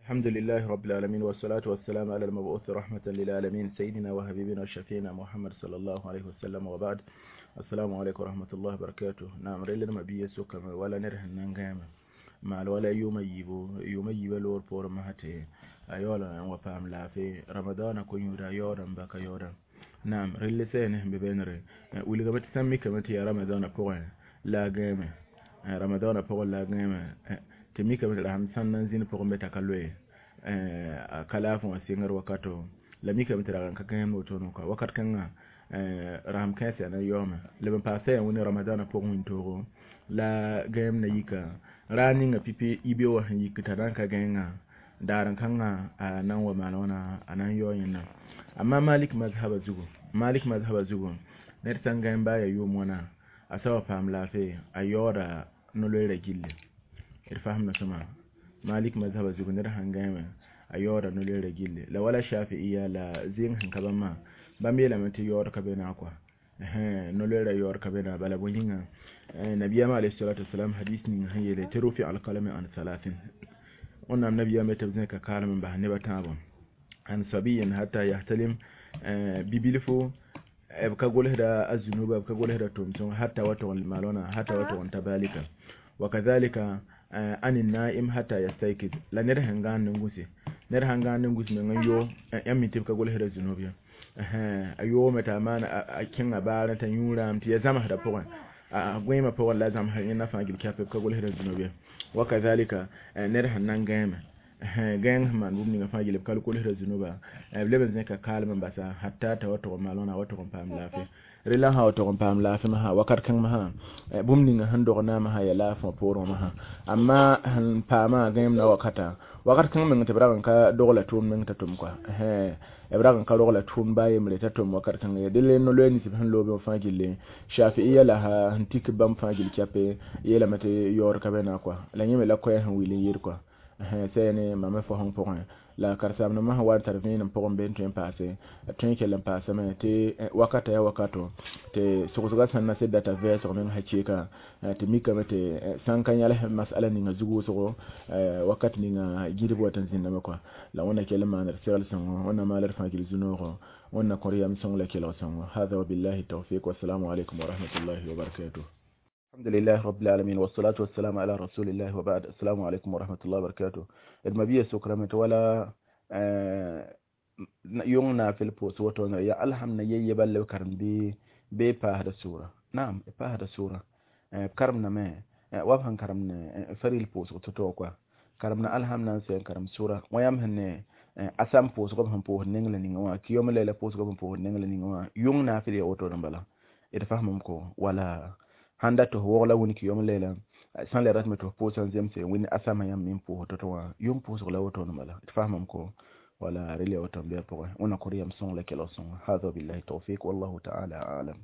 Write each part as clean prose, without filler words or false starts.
الحمد لله رب العالمين، والصلاة والسلام على المبعوث رحمة للعالمين، سيدنا وحبيبنا وشفينا محمد صلى الله عليه وسلم، وبعد، السلام عليكم ورحمة الله وبركاته. نعم، ريل ما بيه سوكا ولا نره نانغام مع ولا يوم يبو يوم يبو لور بور ما هتي أيولا وفهم لا في رمضان كون يورا يورا بكا يورا. نعم، ريل سينه ببينري ولغبت سمي كما تي رمضان بوين لا غيم رمضان بوين لا غيم tɩ mikame tɩ rasem sãn na n zĩnd pʋgẽ be t'a ka loe a ka laafẽ wã sɩngr wakato la mikame tɩ rag n ka gãeemd wotone kɔa wakat kãngã rasem kãens yaa na yaoome leb n paasa yaa wẽne ramadãnã pʋgẽ wĩntoogo la gãeem na yika raar ninga pipi yibe wã sẽn yik t'a na n ka gãengã daar n kãngã a na n wa maan wãna a na n yao yẽnda. Amma Malik mazhaba zugu, Malik mazhaba zugu, ned sã n gãeem baa yaa yʋʋm wãna a sa wa paam laafɩ a yaooda no-loeera gilli. D fasemda sõma Malik mazhaba zugu ned sãn gãeeme a yaooda no-loeera gilli la wala Shafi'iya la zɩɩng sẽn ka bãmba bãmb yeelame tɩ yaood ka be naag kɔa no-loeera yaood ka be naag bala bõe yĩnga nabiyama alayhi salatu wasalam hadis ning sẽn yeele tɩ rufi alkalami an salasin wẽnnaam nabiyame tɩ b zẽka kaalem n bas neb a tãabo an sabiyin hatta yahtalim bibilfo b ka golsda a zunuba b ka golsda tʋm-sõng hatta wa tʋg n maal wãna hatta wa tʋg n ta balika wa kadhalika an naim hatta yastaykiz la ned sẽn gãand n gũse ned sãn gãand n gũs meng n yo yãmb mi tɩ b ka golsda zunub ye a yoome t'a maan a kẽnga baarẽ t'a yũ raam tɩ ya zãmsdã pʋgẽ a gõeemã pʋgẽ la zãmsd yẽnda fãa gil kɛp b ka golsda zunub ye wa kadhalika ned sẽn na n gãeme gãeng sẽn maan bũmb ninga fãa yel b ka kolsda zunuba b leb n zẽka kaalem n basa hatta t'a wa tʋg n maal wãna wa tʋg n paam laafɩ rela sã wa tʋg n paam laafɩ masã wakat kãng masã bũmb ninga sẽn dog naamã sã ya laafẽ wã poorẽ wã masã amma sẽn paamã gãeem na wakata wakat kãng meng tɩ b rag n ka dogla tʋʋm meng t'a tʋm kɔa b rag n ka rogla tʋʋm baa yembre t'a tʋm wakat kãng ye dẽle no-loɛɛ nins b sẽn loobẽ fãa gilli Shafi'iya la sẽn tik bãmb fãa gill kɛpe yeelame tɩ yaood ka be naag kɔa la yẽ me la koɛɛ sẽn wil n yɩɩd kɔa sɛne mame fosẽng pʋgẽ la karen-saambdãmbã sẽn wa n tar vẽenem pʋgẽ be n tõe n paase tõe n kell n paasame tɩ wakata yaa wakato tɩ sogsgã sẽn na sed data vɛɛsg meng sã keeka tɩ mikame tɩ sãn ka yãls masala ninga zug wʋsgo wakat ninga gɩdb wat n zĩndame kɔa la wẽnna kell n maan d segl sõngo wẽnna maal d fãa gil zu-noogo wẽnna kõr yam sõng la kelg sõngo. Hada wabillahi tawfiq wassalamu alaikum warahmatullahi wabarakatuh. الحمد لله رب العالمين، والصلاة والسلام على رسول الله، وبعد، السلام عليكم ورحمة الله وبركاته. المبيه سكرمت ولا yong naafɩl pʋʋs woto ya alhamna ye yebal b karem bɩ paasda sʋʋra. Naam, b paasda sʋʋra b karemdame wa b sẽn karemd faril pʋʋsg to-to kɔa karemda alhamna n sɛ n karem sʋʋra wã yãmb sẽn ne asam pʋʋsg b sẽn pʋʋsd neng la ninga wã kɩyom layla pʋʋsg b sẽn pʋʋsd neng la ninga wã yʋng naafɩl ya woto n bala d fasmame ko wala sãn dat tɩ f wogla wĩn kɩyom leela sãn le ratame tɩ f pʋʋs n zemse wĩnd asama yãmb me n pʋʋs to-to wã yʋng pʋʋsg la wotone bala d fasmame ko wala rel ya woto n bɩa pʋgẽ wẽnna kõr yam sõng la kelg sõngo. Hada billahi tawfiq wallahu ta'ala a'lam.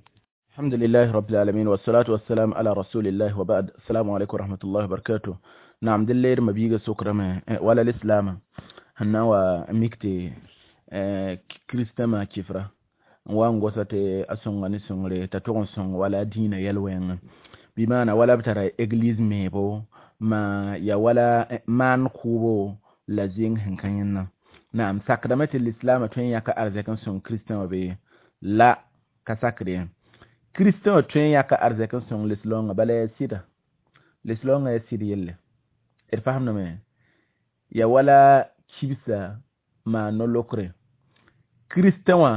الحمد لله رب العالمين، والصلاة والسلام على رسول الله، وبعد، السلام عليكم ورحمة الله وبركاته. نعم، دلير مبيغة سكرة ولا الإسلام هنا وميكتي كريستما كفرة wa n gosa tɩ a sõnga ne sõngre t'a tʋg n sõng wala dĩinã yɛl-wẽngẽ bɩ maana wala b tara église meebo ma ya wala maan kʋʋbo la zẽng sẽn ka yẽnna. Naam, sakdame tɩ lislaamã tõe n yãka arzɛk n sõng kristẽ wã bee la ka sakd ye kristẽ wã tõe n yãka arzɛk n sõng lislaoongã bala yaa sɩda lislaoongã yaa sɩd yelle d fasemdame ya wala kibsa maa no-lokre kristẽ wã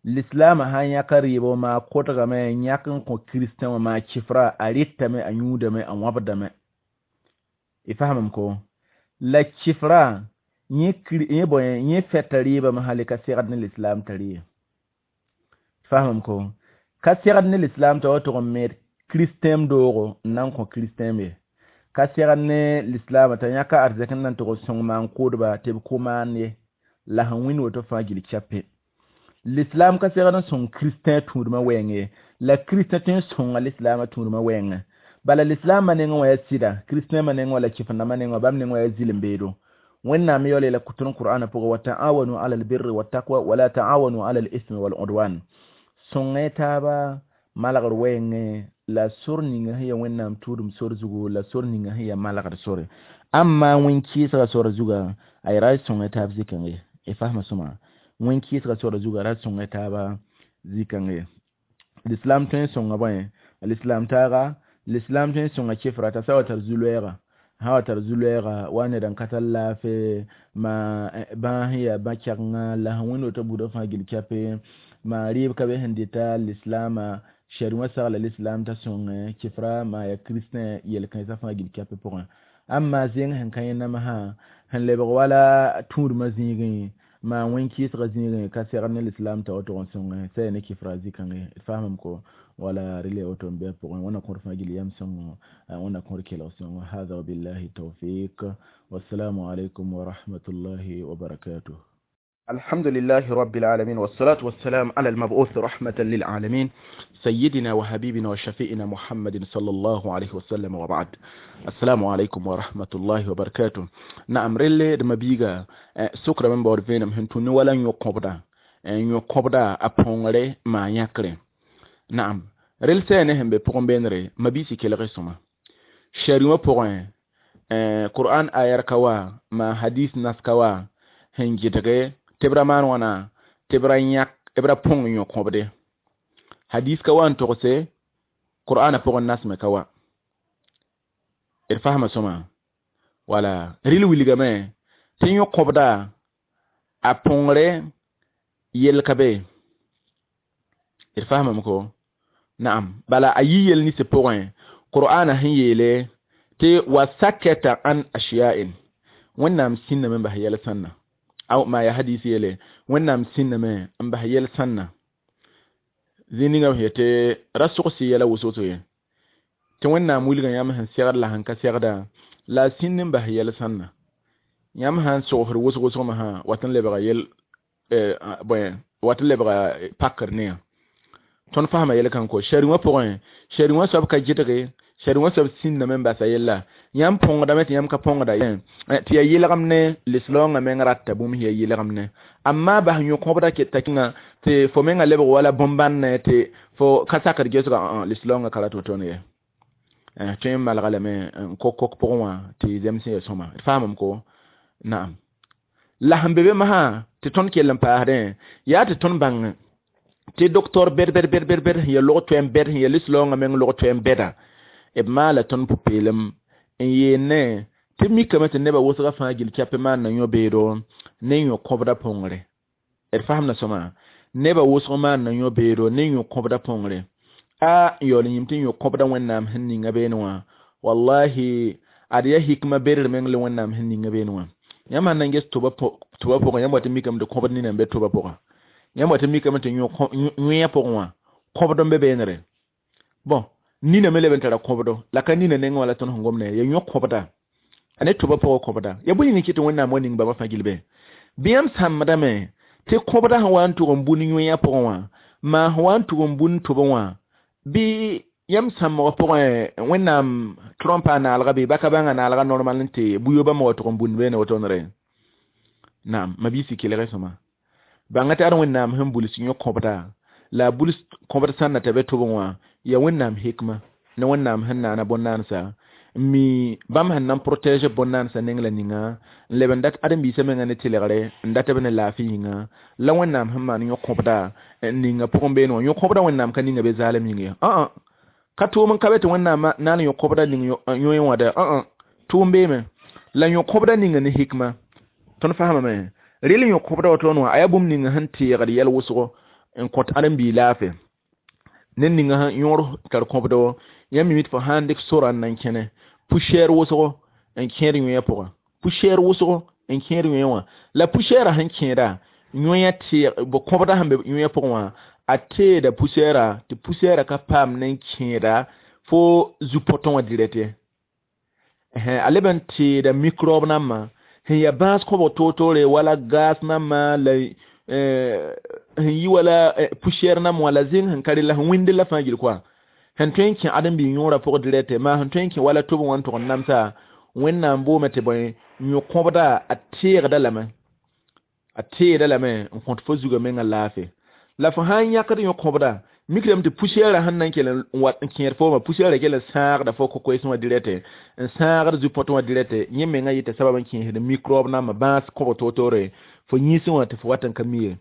lislaamã sã n yãka rɩɩbo maa kotgame n yãk n kõ kristẽ wã maa kifra a rɩtame a yũudame a wãbdame y fasemame ko la kifra yẽ bõe yẽ fɛta rɩɩbame hali ka segd ne lislaam t'a rɩ fasemame ko ka segd ne lislaam t'a wa tʋg n meed kristẽem doogo n na n kõ kristẽem ye ka segd ne lislaamã t'a yãka arzɛk n na n tʋg n sõng maan kʋʋdba tɩ b kʋ maan ye la sẽn wĩnd woto fãa gil kɛpe l'islam ka segd n sõng kristẽ tũudmã wɛɛng ye la kristẽ tõe n sõnga lislaamã tũudmã wɛɛngẽ bala lislaamã nengẽ wã yaa sɩda kristẽmã nengẽ wã la kɩf-rãmbã nengẽ wã bãmb nengẽ wã yaa zɩlem-beedo wẽnnaam yaool yeela kʋtr qur'ana pʋgẽ wa ta'awanu ala albirri wattaqwa wala ta'awanu ala al-ithmi wal udwan sõngẽ taaba malgr wɛɛngẽ la sor ninga sẽn ya wẽnnaam tʋʋdem sor zugu la sor ninga sẽn ya malgr sore. Amma wẽn-kɩɩsga sor zuga a ra sõngẽ taab zĩ-kãng ye. Y fasma sõma wẽn-kɩɩsga sor zuga ra sõngẽ taaba zĩ-kãng ye. L'islam tõe n sõnga bõe l'islam taaga l'islam tõe n sõnga kɩfra t'a sa wa tar zu-loɛɛga sã wa tar zu-loɛɛga wa ned n ka tar laafɩ ma bãas sẽn yaa bã-kɛgenga la sẽn wẽnd woto buudã fãa gil kɛpe ma rɩɩb ka be sẽn dɩta lislaamã shari wã sagla l'islam t'a sõngẽ kɩfra maa yaa kiristẽ yel-kãensã fãa gil kɛpẽ pʋgẽ. Amma zẽng sẽn ka yẽ namsã sẽn lebg wala tũudmã zĩigẽ maa wẽn-kɩɩsgã zĩigẽ ka segd ne l'islam t'a woto n sõngẽ sã yaa ne kɩfra zĩ-kãngẽ. D faamame ko wala rɩla woto n bɩ a pʋgẽ. Wẽnna kõr fãa gil yam sõngo, wẽnna kõr kelg sõngo. Hada wabillahi tawfiq, wassalamu alaikum wa rahmatullahi wa barakatuh. الحمد لله رب العالمين والصلاة والسلام على المبعوث رحمة للعالمين سيدنا وحبيبنا وشفيئنا محمد صلى الله عليه وسلم وبعد. السلام عليكم ورحمة الله وبركاته. نعم رلي دمبيغا سكرا من بور فينم هنتوني ولا يقبدا يقبدا أبونغري ما يكري. نعم رل سينهم بقوم بينري ما بيسي كلا شريمة بقوم قرآن آيار كوا ما حديث ناس كوا هنجدغي tɩ b ra maan wãna tɩ b ra yãk b ra põng yõ kõbde. Hadis ka wa n togse qur'ana pʋgẽ nasme ka wa. D fasma sõma wala rɩl wilgame tɩ yõ kõbda a põngre yel ka be. D fasmame ko naam bala a yi yel nins pʋgẽ qur'ana sẽn yeele tɩ wa sakata an ashiya'in wẽnnaam sĩnname n bas yɛl sãnna aw ma ya hadisi yele wẽnnaam sĩnname n bas yɛl sãnna zĩ ninga sẽn yetɩ ra sogs yɛla wʋsg ye tɩ wẽnnaam wilgã yãmb sẽn segd la sẽn ka segda la a sĩnd n bas yɛl sãnna yãmb sãn sogsd wʋsg wʋsgmã wat n lebga yel bõe wat n lebga pakr ne yã. Tõnd fasma yɛl kãng ko shari wã pʋgẽ shari wã soab ka gɩdge shari wã soab sĩnname n basa yella yãmb põngdame tɩ yãmb ka põngda tɩ yaa yɩlgem ne lislaongã meng rata bũmb sẽn yaa yɩlgem ne amma bas yõ-kõbda keta kẽnga tɩ fo menga lebg wala bõn-bãnne tɩ fo ka sakd gesga lislaongã ka rat wotone ye. Tõe n malga lame n kok-kok pʋgẽ wã tɩ zems sẽn yaa sõma. D faamame ko naam la sẽn be be masã tɩ tõnd kell n paasdẽ yaa tɩ tõnd bãng tɩ docteur bɛd bɛd bɛd bɛd bɛd sẽn yaa log toɛm bɛd sẽn yaa lislaongã meng log toɛm bɛda b maala tõnd pʋ-peelem n yeene tɩ mikame tɩ nebã wʋsga fãa gil kɛpẽ maan na yõ-beedo ne yõ-kõbda põngre. D fasemda sõma nebã wʋsg maan na yõ-beedo ne yõ-kõbda põngre. A n yaool n yĩm tɩ yõ-kõbda wẽnnaam sẽn ninga beene wã wallahi ad yaa hikma berer meng le wẽnnaam sẽn ninga beene wã. Yãmb sãn na n ges tʋba pʋgẽ yãmb wa tɩ mikame tɩ kõbd nina n be tʋba pʋgã yãmb wa tɩ mikame tɩ yõe pʋgẽ wã kõbd n be beenere. Bon nina me leb n tara kõbdo la ka nina nengẽ wã la tõnd sẽn gom ne ya yõ-kõbda a ne tʋba pʋgã kõbda ya bõe yĩng kɩ tɩ wẽnnaam wa ning bãmba fãa gil be bɩ yãmb sãmbdame tɩ kõbda sẽn wa n tʋg n bũn yõe pʋgẽ wã maa sẽn wa n tʋg n bũn tʋbẽ wã bɩ yãmb sãmbgã pʋgẽ wẽnnaam trɔmpa a naalga bɩ baka bãnga naalga normal n tɩ bu-yoobã me wa tʋg n bũnd beene wotone naam mabiisi kelgẽ sõma bãnga tɩ ad wẽnnaam sẽn buls yõ-kõbda la a buls kõbd sãn na t'a be tʋbẽ wã ya wẽnnaam hikma ne wẽnnaam sẽn naana bõn-naansa n mi bãmb sẽn na n protège bõn-naansa neng la ninga n leb n dat ãdem-biisã menga ne tɩlgre n dat b ne laafɩ yĩnga la wẽnnaam sẽn maan yõ-kõbda n ninga pʋgẽ beene wã yõ-kõbda wẽnnaam ka ninga be zaalem yĩng ye ka tʋʋm n ka be tɩ wẽnnaam na n yõ-kõbda ning yõe wã dɛ tʋʋm beeme la yõ-kõbda ninga ne hikma tõnd fasamame rɩl yõ-kõbda woto wã a yaa bũmb ninga sẽn teegd yɛl wʋsgo n kõt ãdem-biig laafɩ ned ninga sẽn yõor tar kõbdo yãmb mi tɩ fo sãn dɩk sora n na n kẽne poussière wʋsgo n kẽed yõe pʋgã poussière wʋsgo n kẽed yõe wã la poussière sẽn kẽeda yõe teeg kõbda sẽn be yõe pʋgẽ wã a teeda poussière tɩ poussière ka paam ne n kẽeda fo zu-potõ wã direct ye a leb n teeda microbe nambã sẽn yaa bãas kõbg toor-toore wala gas nambã la sẽn yi wala poussière nambã wã la zẽng sẽn ka rella sẽn wĩnd la fãa gil koa sẽn tõe n kẽ ãdem-biig yõorã pʋg direct maa sẽn tõe n kẽ wala tʋbẽ wã n tʋg n namsa wẽnnaam boome tɩ bõe yõ-kõbda a teegda lame a teeda lame n kõt fo zugã menga laafɩ la fo sãn yãkd yõ-kõbda Mikrame tɩ poussière sẽn na n kell n wat n kẽed fooma poussière kell n sãagda fo kokoees wã dirɛte n sãagd zu-põt wã dirɛte yẽ mengã yɩta sabab n kẽesd microbe nambã bãas kõb toor-toore fo yĩnsẽ wã tɩ fo wat n ka mi ye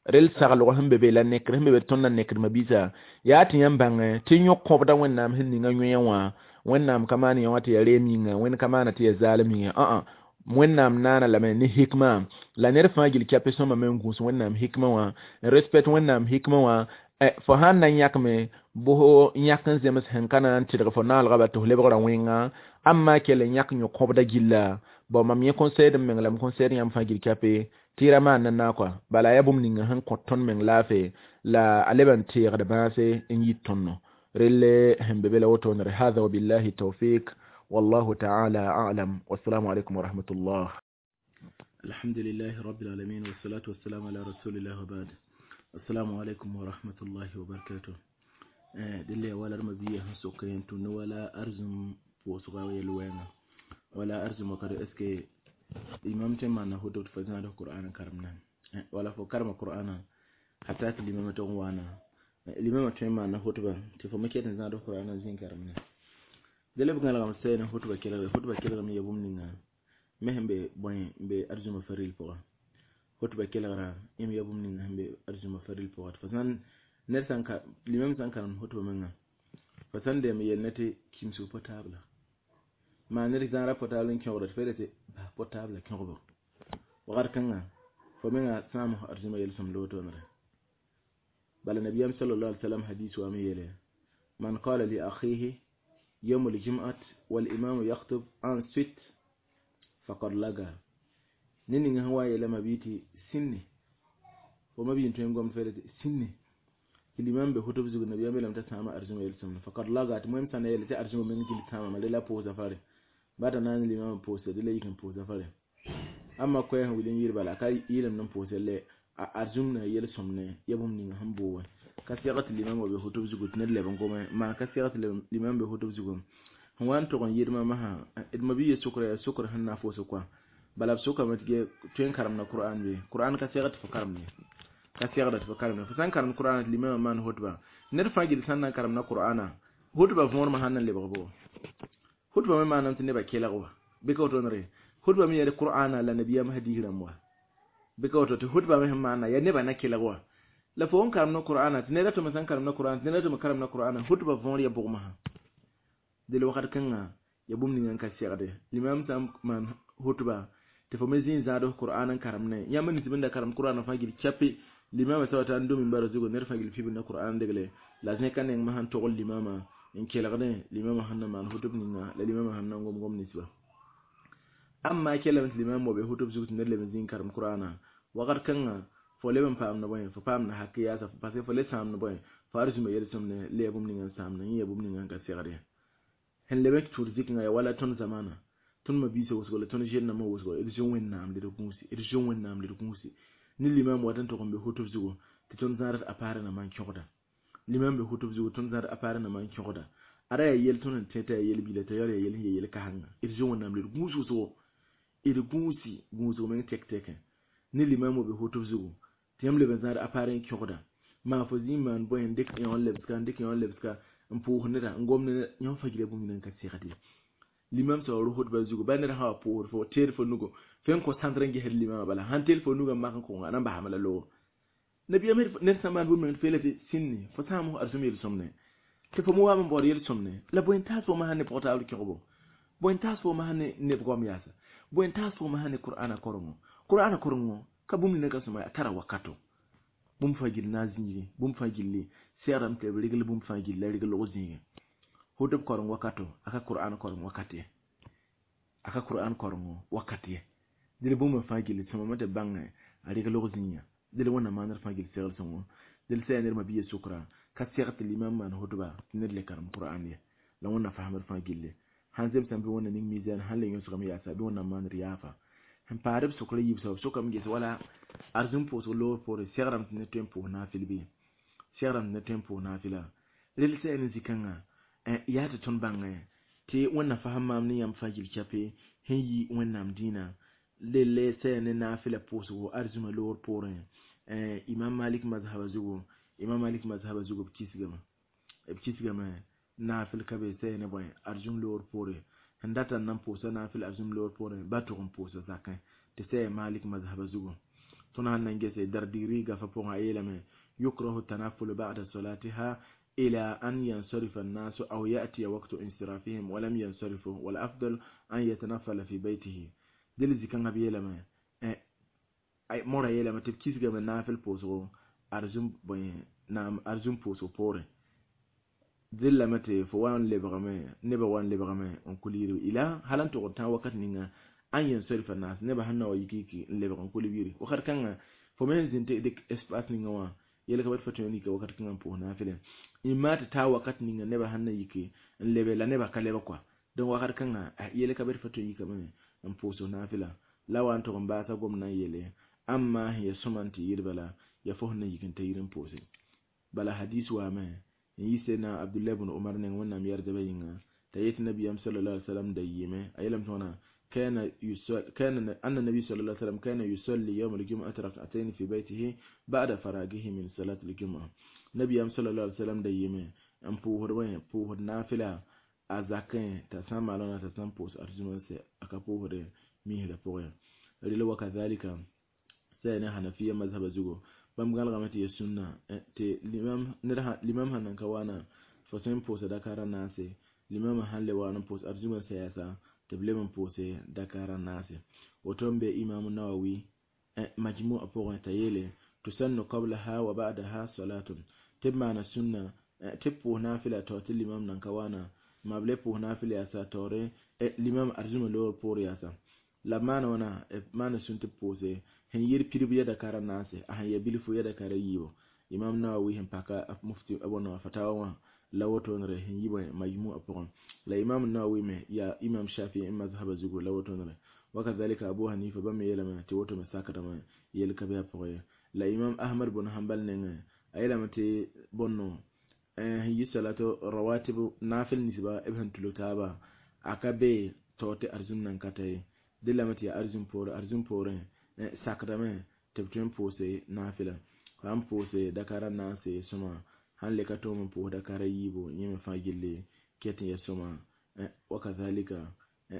rel saglg sẽn be be la nekr sẽn be be tõnd na nekd mabiisa yaa tɩ yãmb bãngẽ tɩ yõk kõbda Wẽnnaam sẽn ninga yõe wã Wẽnnaam ka maan yã wã tɩ yaa reem yĩnga Wẽnd ka maana tɩ yaa zaalem yĩnga ã Wẽnnaam naana lame ne hikma la ned fãa gil kɛpɩ sõma me n gũus Wẽnnaam hikma wã n respect Wẽnnaam hikma wã fo sãn na n yãkme bʋs yãk n zems sẽn ka na n tɩdg fo naalga bal tɩ f lebgra wẽnga amma kell n yãk yõ kõbda gilla bon mam yẽ conseil d meng la m conseil yãmb fãa gil kɛpɩ tɩ y ra maan na naakwa bala yaa bũmb ninga sẽn kõt tõnd meng laafɩ la a leb n teegd bãase n yit tõndo relle sẽn be be la wotoonere hada wabillahi tawfik wallahu taala alam wassalamu alaikum warahmatullah. Alhamdulillahi rabbil alamin wassalatu wassalamu ala rasulillah wa ba'd. Assalamu alaikum wa rahmatullahi wa barakatuh. Dille wala mabiya sẽn sok yẽn tʋ ne wala arzum pʋʋsga yel-wɛnga wala arzum wakado est ce que imam tɩ n maana hutub tɩ fo zãad qur'an karemna wala fo karema qur'ana hatta tɩ limama tʋg n waana limama tõe n maana hutba tɩ fo me ket n zãad qur'an n zĩ karemna dele b gãlegame sɛ ne hutba kelgre hutba kelgrame ya bũmb ninga me sẽn be bõe n be arzuma faril pʋga hutba kelgra yẽm ya bũmb ninga sẽn be arzuma faril pʋga tɩ fo sãn ned sãn ka limam sãn karem hutba menga fo sãn deem yel ne tɩ kimsg portable maa ned zãada portable n kẽogda tɩ fo yela tɩ bas portable kẽogbo wakat kãnga fo menga sãam arzuma yel-sõmd wotoonre bala nabiyam sallallahu alaihi wasallam hadis wa me yele man qala li akhihi يوم الجمعة والإمام يخطب أنصت فقد لغا نينغ هو يلا مبيتي سني وما بين توين قوم فلت سني الإمام بخطب زوج النبي لم تسمع أرجم يلسم فقد لغا المهم سنة يلتي أرجم من جل سامع ما لا بوزا فاري بعد أن الإمام بوزا دلّا يكن بوزا فاري أما كوي هو ولين يربلا كاي يلم نم بوزا لا أرجمنا يلسمنا يبوم نينغ هم بوه كثيرة الإمام بخطب زوج تنل بنقوم ما كثيرة الإمام بخطب زوج هو أن تكون يرمى مها المبي سكر سكر هن فوسكوا بل بسكر ما تجي تين كرمنا القرآن به القرآن كثيرة فكرمني كثيرة فكرمني فسان كرم القرآن الإمام ما نهتبا نرفع جلسنا كرمنا القرآن هتبا فور ما هن اللي بغبوه هتبا ما نمت نبى كيلغوا بكوتونري هتبا من القرآن لا نبي ما هديه رموا بكوتو هتبا ما هم معنا يا نبى نكيلغوا la fo n karem na qur'ana tɩ ned tɩ me sãn karem na qur'an tɩ ned tɩ me karem na qur'ana hutba võor ya bʋgmã del wakat kãnga ya bũmb ninga n ka segde limam sã n maan hutba tɩ fo me zĩ n zãad qur'an n karem ne yãmb nins bẽn da karem qur'an fãa gil kɛpe limama sa wata n dom n bara zugu ned fãa gil pibd na qur'an degle la zẽka neng me sãn togl limama n kelgdẽ limama sẽn na maan hutb ninga la limama sẽn na n gom gom ninsba amma kelame tɩ limam wa be hutb zug tɩ ned leb n zĩ n karem qur'ana wakat kãnga fo leb n paam na bõe fo paam na hak yaasa parce que fo le sãam na bõe fo arzũma yel-sõmne le ya bũmb ninga n sãamna yẽ ya bũmb ninga n ka segd ye sẽn leb n tʋd zikẽngã ya wala tõnd zamana tõnd mabiisã wʋsgo la tõnd zel-nambã wʋsgo d zoe Wẽnnaam d gũusi d zoe Wẽnnaam d gũusi ne limam wat n tʋg n be hutb zugu tɩ tõnd zãad a paara nambã n kẽogda limam be hutb zugu tõnd zãad a paara nambã n kẽogda ada yaa yel tõnd n tẽ t'a yaa yel-bila t'a yaa yel sẽn yaa yel-kasengã d zoe Wẽnnaam d gũus wʋsgo d gũusi gũusg meng tɛk-tɛkẽ ne limam wa be hutb zugu tɩ yãmb leb n zãad a paar n kẽogda maa fo zĩ n maan bõe n dɩk yõ n lebska n dɩk yõ n lebska n pʋʋs neda n gom neda yõ fãa gila bũmb ninga n ka segd ye limam sã wa ro hutba zugu ba ned sã wa pʋʋsd fo teed fo nugo fo n kõ sãndr n gesd limamã bala sãn teel fo nugã mak n kõnga a na n basame la loogo nabiyam ned sã n maan bũmb ninga tɩ fo yeela tɩ sĩnni fo sãam arzũm yel-sõmne tɩ fo me waam n baood yel-sõmne la bõe n taas fo masã ne pʋgtaabr kẽgbo bõe n taas fo masã ne neb goam yaasa bõe n taas fo masã ne qur'ana korengo qur'ana korengo ka bũmb ninga ka sõma a tara wakato bũmb fãa gill na n zĩigẽ bũmb fãa gilli segrame tɩ b regl bũmb fãa gill la regl log zĩigẽ hutb koreng wakato a ka qur'an koreng wakat ye a ka qur'an korengo wakat ye dẽl bũmb fãa gilli sõmame tɩ bãngẽ a reg log zĩiga dẽl Wẽnnaam maanr fãa gill segl sõngo dẽl sã yaa ned mabiya sʋkra ka seg tɩ limam maan hutba tɩ ned le karem qur'an ye la Wẽnnaam fasemd fãa gilli sãn zemsame bɩ Wẽnnaam ning mizan sãn le yõsgame yaasa bɩ Wẽnnaam maanr yaafa sẽn paad b sʋkra yiib soab sʋkame ges wala arzũm pʋʋsg loor poorẽ segrame tɩ ned tõe n pʋʋs naafɩl bɩ segrame tɩ ned tõe n pʋʋs naafɩla rel sã yaa ne zĩ-kãngã yaa tɩ tõnd bãngẽ tɩ Wẽnnaam fasem maam ne yãmb fãa gil kɛpe sẽn yi Wẽnnaam dĩinã lelle sã yaa ne naafɩla pʋʋsgo arzũma loor poorẽ Imam Malik mazhaba zugu Imam Malik mazhaba zugu b kisgame nafil ka be sɛ ne bõe arzũm loor poore sẽn data n na n pʋʋsa nafil arzũm loor poorẽ ba tʋg n pʋʋsa zakẽ tɩ sɛ Malik mazhaba zugu. Tõnd sãn na n gese Dardiri gafa pʋgẽ a yeelame yukrahu tanafulu ba'da salatiha إلى أن ينصرف الناس أو يأتي وقت انصرافهم ولم ينصرفوا والأفضل أن يتنفل في بيته. دل زكان بيلما مورا يلما تبكيس جم نافل بوسو أرزم بين نعم أرزم بوسو بوري دل لما تفوان لبغمة نبوان لبغمة أنكليرو إلى هل أنت قلت وقت نينا أن ينصرف الناس نبى هنا ويكيكي لبغم كل وخر كان فمن زنت ديك إسباس نينا yele ka bat fatu ni ka wakat kan po nafile imma ta ta wakat ninga neba hanna yike lebe la neba ka leba kwa don wakat kan yele ka bat fatu yike me n po so nafila la wan to ba sa gomna yele amma ya sumanti yirbala ya fo na yikin ta yirin pose bala hadis wa me yise na Abdullah ibn Umar ne wannan yar da bayinga ta yiti nabiyam sallallahu alaihi wasallam da yime ayelam tona كان كان أن النبي صلى الله عليه وسلم كان يصلي يوم الجمعة ركعتين في بيته بعد فراغه من صلاة الجمعة. نبي صلى الله عليه وسلم ديمه أم بوهر وين بوهر نافلة أزاكين تسمع لنا تسمع بوس أرجمان سي أكبوهر ميه لبوه رجل وكذلك سينا حنفية مذهب زوجو بمقال غمتي السنة تي الإمام نرها الإمام هنن كوانا فسين بوس دكارا ناسي الإمام هن لوانا بوس أرجمان سياسة تبلم بوسي دكارا ناسي وتم بإمام النووي مجموع بوغ تيلي تسن قبلها وبعدها صلاة تبمعنى السنة تبو نافلة توتي الإمام ننكوانا ما بلي بو نافلة ياسا توري الإمام أرجم لور بور ياسا لا معنى وانا معنى سن تبوسي هن ير بيربو يدكارا ناسي أهن يبيلفو يدكارا يبو إمام النووي هم باكا مفتي أبونا فتاوى la woto nre hin yibo majmu pʋgẽ la Imam Nawawi me ya Imam Shafi'i mazhaba zugu la woto nre wakadhalika Abu Hanifa bãmb yeelame tɩ woto me sakdame yel ka be a pʋgẽ ye la Imam Ahmad bn Hanbal nengẽ a yeelame tɩ bõnno sẽn yi salato rawatib nafil ninsba b sẽn tulg taaba a ka be tao tɩ arzũm nan ka ta ye dẽ lame tɩ yaa arzũm poorẽ sakdame tɩ b tõe n pʋʋse nafɩla sã n pʋʋse dakara naase sõma han le ka tõog n pʋʋs dakara yiibu yẽ me fãa gilli ket n ya sõma wakadhalika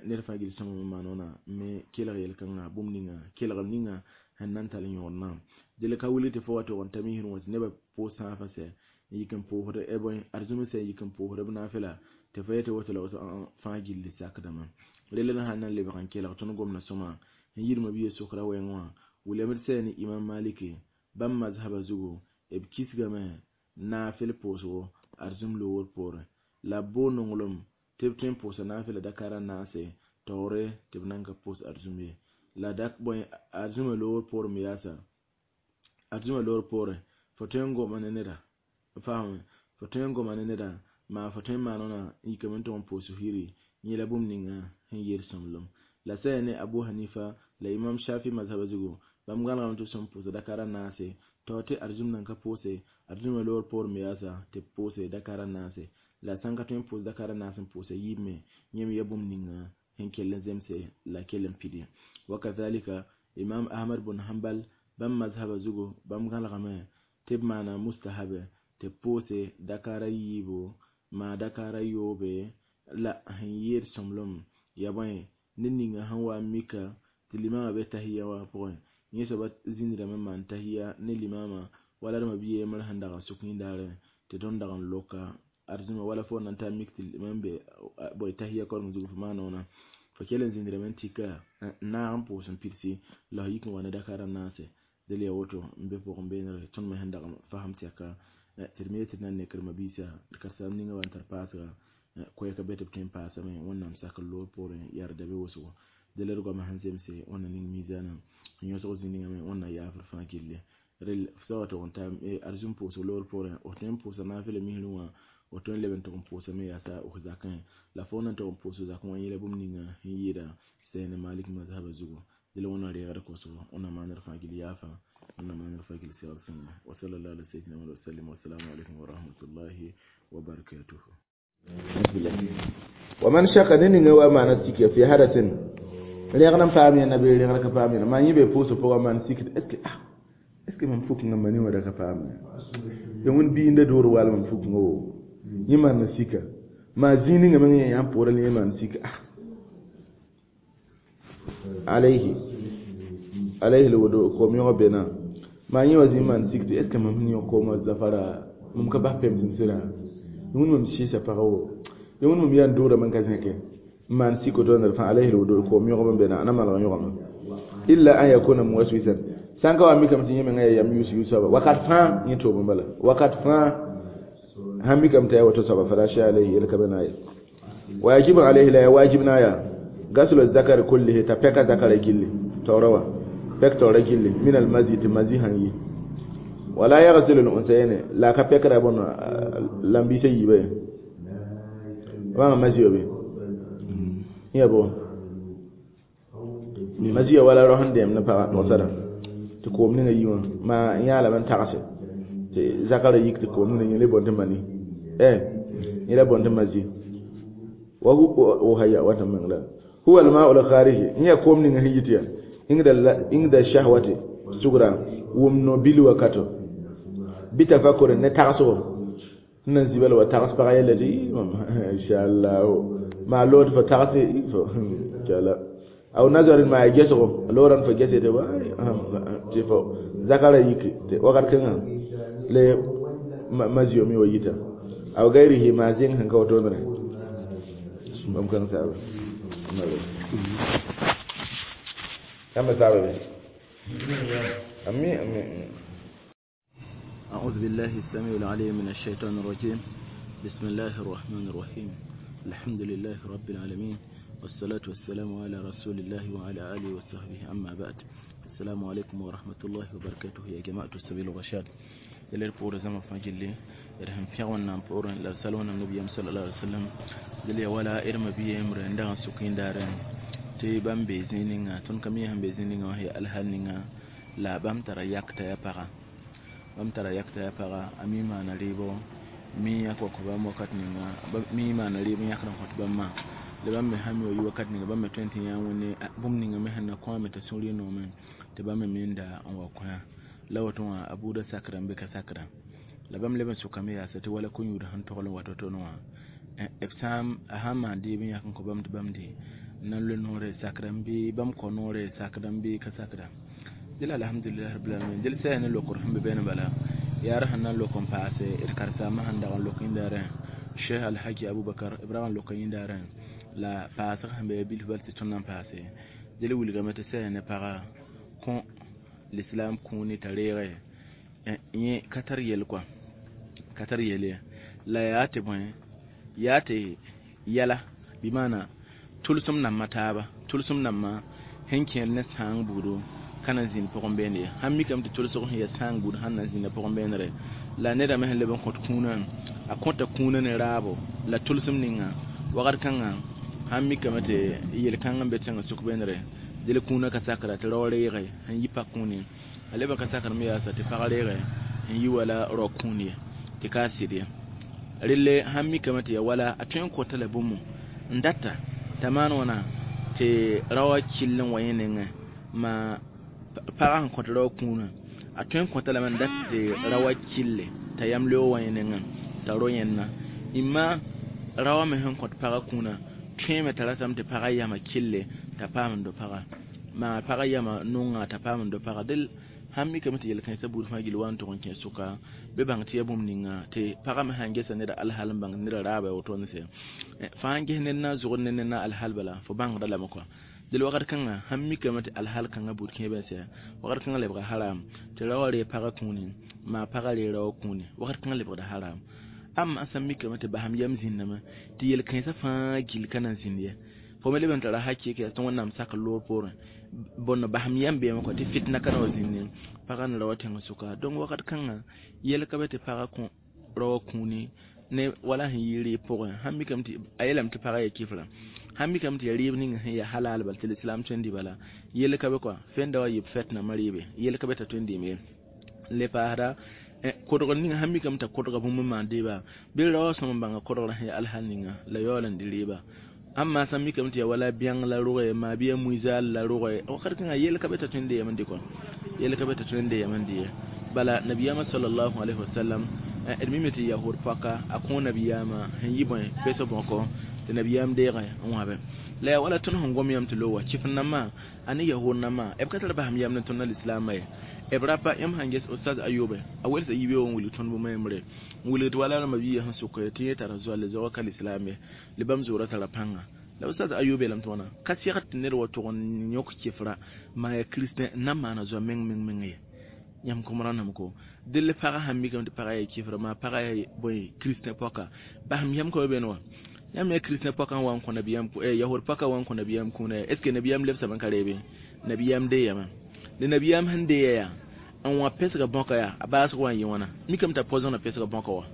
ned fãa gill sõma me maan wãna me kelg yel-kãngã bũmb ninga kelgem ninga sẽn na n tall yõod na dɩl ka wilg tɩ fo wa tog n ta misrẽ wã tɩ nebã pʋʋs sãafã sɛ n yik n pʋʋsd arzũm sɛ n yik n pʋʋsd b naafɩla tɩ fo yetɩ woto la woto fãa gilli sakdame rel sãn na n lebg n kelg tõnd gomda sõma n yirmã biya sokra wɛɛng wã wilame d sɛ ne Imam Maliki bãmb mazhaba zugu b kisgame nafil pʋʋsgo arzũm loogr poorẽ la b boog nonglem tɩ b tõe n pʋʋsa nafɩla dakara naase taoore tɩ b nan ka pʋʋs arzũm ye la bõe arzũmã loogr poorẽ me yaasa arzũmã loogr poorẽ fo tõe n goma ne neda faame fo tõe n goma ne neda maa fo tõe n maan wãna n yikame n tʋg n pʋʋs yiri yẽ la bũmb ninga sẽn yeel sõmblem la sɛ ne Abu Hanifa la Imam Shafi mazhaba zugu bãmb gãnegame tɩ b sẽn pʋʋsa dakara naase tao tɩ arzũm nan ka pʋʋse arzũmã loogr poorẽ me yaasa tɩ b pʋʋse dakara naase la sãn ka tõe n pʋʋs dakara naas n pʋʋsa yiib me yẽ me ya bũmb ninga sẽn kell n zemse la kell n pidi wakadhalika Imam Ahmad bn Hanbal bãmb mazhaba zugu bãmb gãlegame tɩ b maana mustahabe tɩ b pʋʋse dakara yiibu maa dakara yoobe la sẽn yeel sõmblem ya bõe ned ninga sẽn wa n mika tɩ limama be tahiya wã pʋgẽ yẽ soaba zĩndrame n maan tahiya ne limama wala d mabia yembr sẽn dag n sʋk yĩndaarẽ tɩ tõnd dag n loka arzũma wala fo na n ta mik tɩ limam be bõe tahiya koreng zugu fo maana wãna fo kell n zĩndrame n tika n naag n pʋʋs n pidsi la f yik n wa ne dakara naase dẽl yaa woto n be pʋgẽ beenre tõnd me sẽn dag n fasem tɛka tɩ d me tɩ d na n nekr mabiisa d karen-saamb ninga wa n tar paasga koɛɛka be tɩ b tõe n paasame Wẽnnaam sakr loor poorẽ yaa d da be wʋsgo dẽla d goamã sẽn zemse Wẽnna ning miizaanã n yõsg zĩ ningame Wẽnna yaafr fãa gilli rel sã wa tʋg n ta arzũm pʋʋsg loor poorẽ f tõe n pʋʋsa naafɩla misrẽ wã f tõe n leb n tʋg n pʋʋsame yaasa f zakẽ la fo na n tʋg n pʋʋs zakẽ wã yẽla bũmb ninga sẽn yɩɩda sɛɛne Malik mazhaba zugu dẽla Wẽnna reegd kosgo Wẽnna maanr fãa gill yaafa Wẽnna maanr fãa gill segd sõngo wa sallallahu ala sayyidina Muhammad wa sallam wa salaamu alaykum wa rahmatullahi wa barakatuh. ومن شك نينغ wa maana sik fi hadasin rẽgd n paam yẽnda bɩ rẽgd ka paam yẽnda maa yẽ be pʋʋsg pʋgã maan sik est ce que mam fuk n mani wã da ka paam ye. Ya wẽnd biinda dood walm n fuk wo yẽ maan sika maa zĩig ninga meng yẽ yãmb pʋʋra la yẽ maan sika alayhi alayhi lwudu koom yõg bena maa yẽ wa zĩ maan sik tɩ est ce que mam sẽn yõk koomã zafara mam ka bas pɛms n sɩda wẽnd mam sɩɩsa pagã wo ya wẽnd mam yaa n doodame n ka zẽke n maan sik woto ned fãa alayhi lwudu koom yõgb n bena a na maneg yõgame illa an yakuna muwaswisan sãn ka wa mikame tɩ yẽ menga yaa yam yus yus soaba wakat fãa yẽ toom n bala wakat fãa sãn mikame t'a yaa woto soaba fala shay alayhi yel ka be na ye wa yajibu alayhi la ya wajib na ya gaslu zakari kullihi ta pɛka zakara gilli taoora wã pɛk taoora gilli min almazi tɩ mazi sãn yi wala yaghsilu al-unsayni la ka pɛkra bõn lambiisã yiibã ye wãnga mazi wa be yã bõ mazi ya wala rao sẽn dẽem ne pagã togsada tɩ koom ninga yi wã maa yã lame n tagse tɩ zakara yik tɩ koom ninga yẽ le bõn tɩ mani yẽ la bõn tɩ mazi wa hu haya wata meng la huwa al-ma'u al-kharij yã koom ninga sẽn yit yaa ingda shahwati sugra wʋm no bil wakato bitafakkur ne tagsgo nan zibal wa tags pagã yella tɩ inchallah maa lood fo tagse fo inshallah aw nazarin maa ya gesgo loran fo gese tɩ tɩ fo zakara yiki tɩ wakat kãngã le mazio mi wa yita aw gairihi maa zẽng sẽn ka wotone bãmb kãng saaba yãmba saaba be ami ami. أعوذ بالله السميع العليم من الشيطان الرجيم. بسم الله الرحمن الرحيم. الحمد لله رب العالمين والصلاة والسلام على رسول الله وعلى آله وصحبه أما بعد. السلام عليكم ورحمة الله وبركاته يا جماعة السبيل الرشاد. دليل بور زما فاجلي إرهم فيغون نام بور لا سالون النبي صلى الله عليه وسلم دليل ولا إرم بي إمر عندها سكين دارن تي بام بيزينينغا تون كمي هم بيزينينغا هي الهالنينغا لا بام ترى يكتا يا بارا bãmb tara yakta yaa paga a mi maana rɩɩbo mi yãk wa kõ bãmb wakat ninga mi maana rɩɩb n yãkd n kõt bãmb mã la bãmb me sã mi wa yi wakat ninga bãmb me tõe n tɩ yã wẽnde bũmb ninga me sẽn na kõ me t'a sũur noome tɩ bãmb me minda n wa kõ la woto wã a buudã sakra n be ka sakra la bãmb leb n sʋkame yaasa tɩ wala ko-yũud sẽn togl n wa to-to wã b sã a sãn maan deeb n yãk n kõ bãmb tɩ bãmb de n na n loe noore sakra n bɩ bãmb kõ noore sakra n bɩ ka sakra dɩla alhamdulillah rabbil alamin dɩl sã ne lokr sẽn be bɛne bala yaa sẽn na n lok n paase d karen-saambã sẽn dag n lok yĩndaarẽ Cheikh Alhaji Abubakar b rag n loka yĩndaarẽ la paasg sẽn be bilf bal tɩ tõnd na n paase dɩl wilgame tɩ sã ne paga kõ l'islam kũuni t'a reege yẽ ka tar yel kɔa ka tar yel ye la yaa tɩ bõe yaa tɩ yɛla bɩ maana tʋlsem nambã taaba tʋlsem nambã sẽn kẽer ne sãang buudo kana zĩnd pʋgẽ beene ye sãn mikame tɩ tʋlsg sẽn yaa sãang buud sãn na zĩnda pʋgẽ beenere la neda me sẽn leb n kõt kũunã a kõta kũunã ne raabo la tʋlsem ninga wakat kãngã sãn mikame tɩ yel-kãng n be tẽngã sʋk beenere dɩl kũunã ka sakra tɩ rao reege sẽn yi pak kũuni a leb n ka sakr me yaasa tɩ pag reege n yi wala rao kũun ye tɩ ka a sɩd ye relle sãn mikame tɩ ya wala a tõe n kota la bũmb n data t'a maan wãna tɩ raoã kell n wa yẽ nengẽ maa pagã sẽn kõt rao kũunã a tõe n kõta lame n dat tɩ raoã kille t'a yam leoog wa yẽ nengẽ t'a ro yẽnna imma raoã me sẽn kõt pagã kũunã tõeme t'a ratame tɩ pagã yama kille t'a paam n do pagã maa pagã yama nonga t'a paam n do pagã dɩl sãn mikame tɩ yel-kãensã buud fãa gill wa n tʋg n kẽ sʋka bɩ bãng tɩ yaa bũmb ninga tɩ pagã me sãn gesa neda alhal n bãng neda raaba ya woto ne sɛ fãa n ges ned na n zʋgd ne ned na alhal bala fo bãngda lame kɔa dɩl wakat kãngã sãn mikame tɩ alhal kãngã buud kẽeb n sɛ wakat kãngã lebga haram tɩ raoã ree pagã kũuni maa pagã ree raoã kũuni wakat kãngã lebgda haram amma sãn mikame tɩ basam yam zĩndame tɩ yel-kãensã fãa gill ka na n zĩnd ye fo me leb n tara hakɩɩk yaa tɩ wẽnnaam sak loor poorẽ bõn basam yam beeme kɔ tɩ fitna ka na wa zĩnd pagã ne raoã tẽngã sʋka donc wakat kãngã yel ka be tɩ pagã kõ raoã kũuni ne wala sẽn yɩ rɩɩb pʋgẽ sãn mikame tɩ a yeelame tɩ pagã yaa kifra sãn mikame tɩ yaa rɩɩb ning sẽn yaa halal bal tɩ l'islam tõe n dɩ bala yel ka be kɔa fẽnda wa yɩ b fɛtnamã rɩɩbe yel ka be t'a tõe n dɩɩm ye n le paasda kodgr ninga sãn mikame t'a kodga bũmb n maan deeba bɩ raoã sõm n bãnga kodgrã sẽn yaa alhal ninga la yaool n dɩ rɩɩba amma sãn mikame tɩ yaa wala bẽng la rʋgɛ maa bɩ yaa muizaal la rʋgɛ wakat kãngã yel ka be t'a tõe n dɩ yam n dɩ kɔ yel ka be t'a tõe n dɩ yam n dɩ ye bala nabiyama sallallahu alaihi wasallam D mime tɩ yahud paka a kõ nabiyaamã sẽn yi bõe pesg bõko tɩ nabiyaam deegẽ n wãbe la yaa wala tõnd sẽn gom yãmb tɩ lo wa kɩf nambã a ne yahud nambã b ka tar basem yam ne tõnd lislaambã ye b rapa yãmb sãn ges ustaz Ayobe a welsa yibeoog n wilg tõnd bũmb yembre n wilg tɩ wala rãmba biiga sẽn sʋk tɩ yẽ tara zoalle zoagã ka lislaam ye la bãmb zoorã tara pãnga la ustaz Ayobe yeelame tɩ wãna ka segd tɩ ned wa tʋg n yõk kɩfra maa yaa kiristẽ n na n maana zoa meng meng meng ye yãmb kõm rãndame ko dell pagã sãn mikame tɩ pagã yaa kɩfra maa pagã yaa bõe kiristẽ pɔka basem yam ka be beene wa yãmb yaa kiristẽ pɔka n wa n kõ nabiyaam yahud pɔka wa n kõ nabiyaam kũuna est ce que nabiyaam lebsame n ka reebe nabiyaam deeyame la nabiyaam sẽn deeya yaa n wã pesga bõka yaa a baasg wa n yɩ wãna mikame t'a poisona pesga bõka wa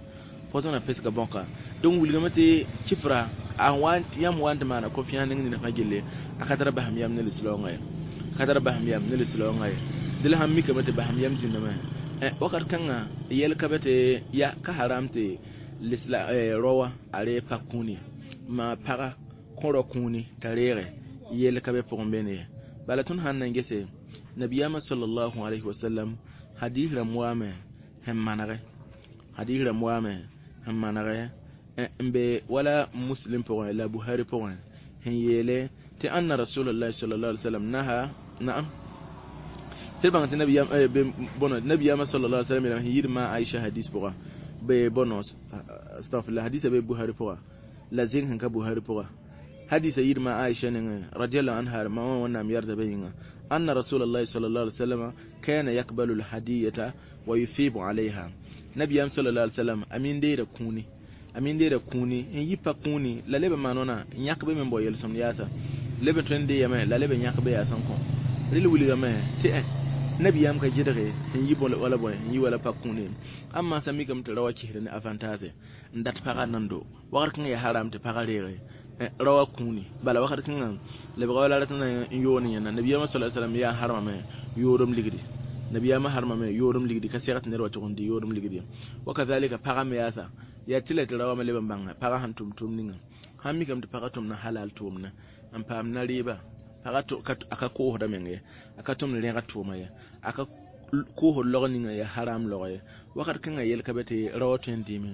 poisona pesga bõka donc wilgame tɩ kɩfra a wa yãmb wa n tɩ maana confiance ning ned fãa gelle a ka tara basem yam ne lislaoongã ye ka tara basem yam ne lislaoongã ye dɩ la sãn mikame tɩ basem yam zĩndame wakat kãngã yɛl ka be tɩ ya ka haram tɩ lisla raoã a reeg pak kũuni maa pagã kõ rao kũuni t'a reege yɛl ka be pʋgẽ beene ye bala tõnd sãn na n gese nabiyaamã sallallahu alayhi wasallam hadis rãmb waame sẽn manege hadis rãmb waame sẽn manege n be wala muslim pʋgẽ la buhari pʋgẽ sẽn yeele tɩ anna rasulullahi sallallahu alaihi wasallam naha naam tɩ bãng tɩ bõno nabiyaamã sallallahu alaihi wasallam yeelame sẽn yid ma Aisha hadis pʋga be bõno astaghfirullah hadisa be buhari pʋga la zẽng sẽn ka buhari pʋga hadisa yid ma Aisha nengẽ radiallahu anha ma wã wẽnnaam yarda be yĩnga anna rasulullahi sallallahu alaihi wasallam kana yakbalu alhadiyata wa yusibu alayha nabiyam sallallahu alaihi wasallam amin deeda kũuni amin deeda kũuni n yi pa kũuni la leb n maan wãna n yãk be me n bao yel-sõmd yaasa leb n tõe n deeyame la leb n yãk be yaasã n kõ rel wilgame tɩ nabiyam ka gɩdge sẽn yi wala bõe n yi wala pa kũuni amma sã mikame tɩ raoã kisd ne avantage n dat pagã nando wakat kãngã yaa haram tɩ pagã reege raoã kũuni bala wakat kãngã lebga wala rat n yoon yẽnda nabiyaamã sallallahu alaihi wasallam yaa harmame yoodem ligdi nabiyaamã harmame yoodem ligdi ka segd tɩ ned wa tʋg n dɩ yoodem ligdi wa kazalika pagã me yaasa yaa tɩ la tɩ raoã me leb n bãnga pagã sẽn tʋm tʋʋm ninga sãn mikame tɩ pagã tʋmna halal tʋʋmna n paam na rɩɩba pagã a ka koosda meng ye a ka tʋmd rẽgd tʋʋma ye a ka koosd log ninga ya haram log ye wakat kãngã yel ka be tɩ raoã tõe n dɩɩme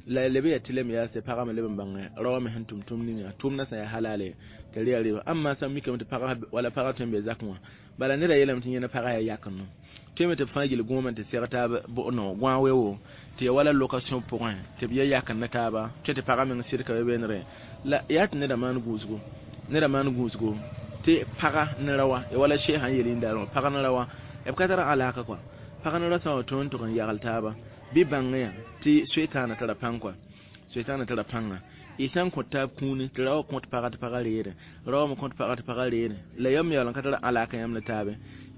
la leb yaa tɩ lem yaase pagã me leb n bãngẽ raoã me sẽn tʋm tʋʋm ninga tʋʋmdã sã yaa halale tɩ rɩ yaa rɩɩba amma sã mikame tɩ pagã wala pagã tõe n be zakẽ wã bala neda yeelame tɩ yẽna pagã yaa yakendo tõeme tɩ b fãa gil gõomã tɩ seg taab no gõa weoogo tɩ ya wala location pʋgẽ tɩ b ya yakend ne taaba tõe tɩ pagã meng sɩd ka be beenre la yaa tɩ neda maan gũusgo neda maan gũusgo tɩ pagã ne raoã ya wala sheesã n yel yĩndaarẽ wã pagã ne raoã b ka tar alaka kɔa pagã ne ra sã n wa tõe n tʋg n yagl taaba bɩ bãngẽ yã tɩ soetaana tara pãng kɔa soetaana tara pãnga y sã n kõt taab kũuni tɩ raoã kõt pagã tɩ pagã reere raoã me kõt pagã tɩ pagã reere la yam yaool n ka tar alaka yãmb ne taabe